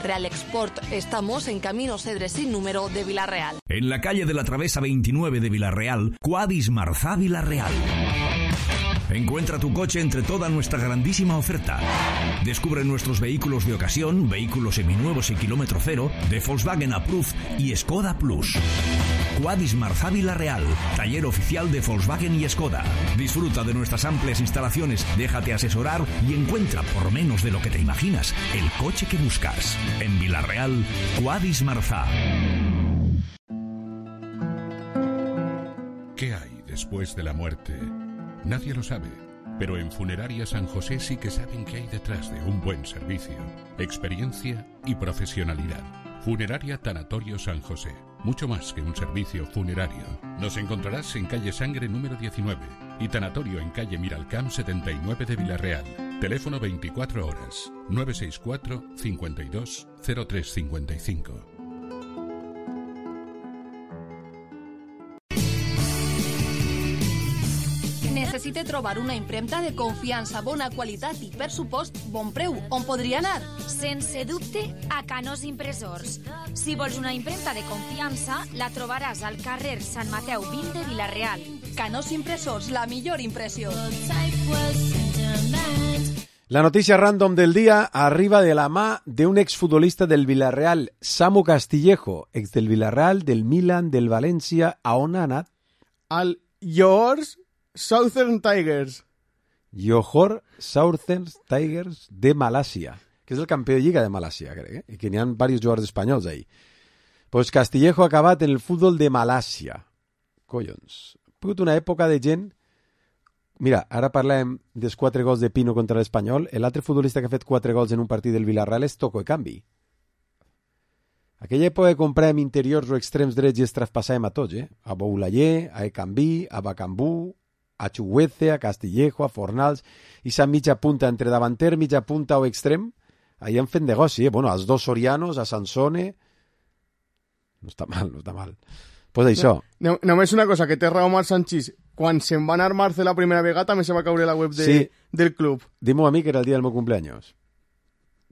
Real Export, estamos en Camino Cedres sin número de Villarreal. En la calle de la Travesa 29 de Villarreal, Quadis Marzá Villarreal. Encuentra tu coche entre toda nuestra grandísima oferta. Descubre nuestros vehículos de ocasión, vehículos seminuevos y kilómetro cero, de Volkswagen Approved y Skoda Plus. Quadis Marzá Villarreal, taller oficial de Volkswagen y Skoda. Disfruta de nuestras amplias instalaciones, déjate asesorar y encuentra por menos de lo que te imaginas el coche que buscas. En Villarreal, Quadis Marzá. ¿Qué hay después de la muerte? Nadie lo sabe, pero en Funeraria San José sí que saben qué hay detrás de un buen servicio, experiencia y profesionalidad. Funeraria Tanatorio San José, mucho más que un servicio funerario. Nos encontrarás en calle Sangre número 19 y Tanatorio en calle Miralcamp 79 de Villarreal. Teléfono 24 horas, 964 52 0355. Necessite trobar una impremta de confiança, bona qualitat i, per supost, bon preu. On podria anar? Sense dubte, a Canós Impressors. Si vols una impremta de confiança, la trobaràs al carrer Sant Mateu 20 de Vila-real. Canós Impressors, la millor impressió. La notícia random del dia arriba de la mà d'un exfutbolista del Villarreal, Samu Castillejo, ex del Villarreal, del Milan, del València. A on ha anat? Al Johor Southern Tigers. Johor Southern Tigers de Malàsia, que és el campió de Lliga de Malàsia, crec, i que n'hi ha diversos jugadors espanyols ahí. Pues Castillejo ha acabat en el futbol de Malàsia. Collons. Ha pogut una època de gent... Mira, ara parlem dels 4 gols de Pino contra l'Espanyol. L'altre futbolista que ha fet 4 gols en un partit del Villarreal és Toco Ekambi. Aquella època compràvem interiors o extrems drets i els traspassàvem a tots, a Boulayer, a Ekambi, a Bacambú, a Chuguece, a Castillejo, a Fornals, i s'ha mitja punta entre davanter, mitja punta o extrem, ahí han fet negoci, Bueno, als dos Sorianos, a Sansone... No està mal, no està mal. Pues això. Només una cosa, que té raó Marc Sanchís. Quan se'n va anar Marce la primera vegada també se va caure la web del club. Dime a mi que era el dia del meu cumpleaños.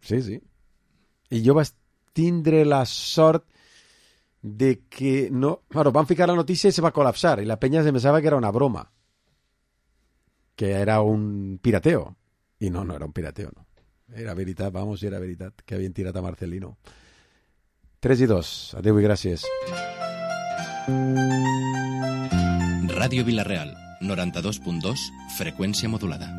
Sí. I jo vaig tindre la sort de que no... Bueno, van ficar la notícia i se va col·lapsar, i la penya se pensava que era una broma, que era un pirateo. I no era un pirateo, no. Era veritat, era veritat, que havien tirat a Marcelino. 3-2. Adéu i gràcies. Ràdio Vila-real, 92.2, freqüència modulada.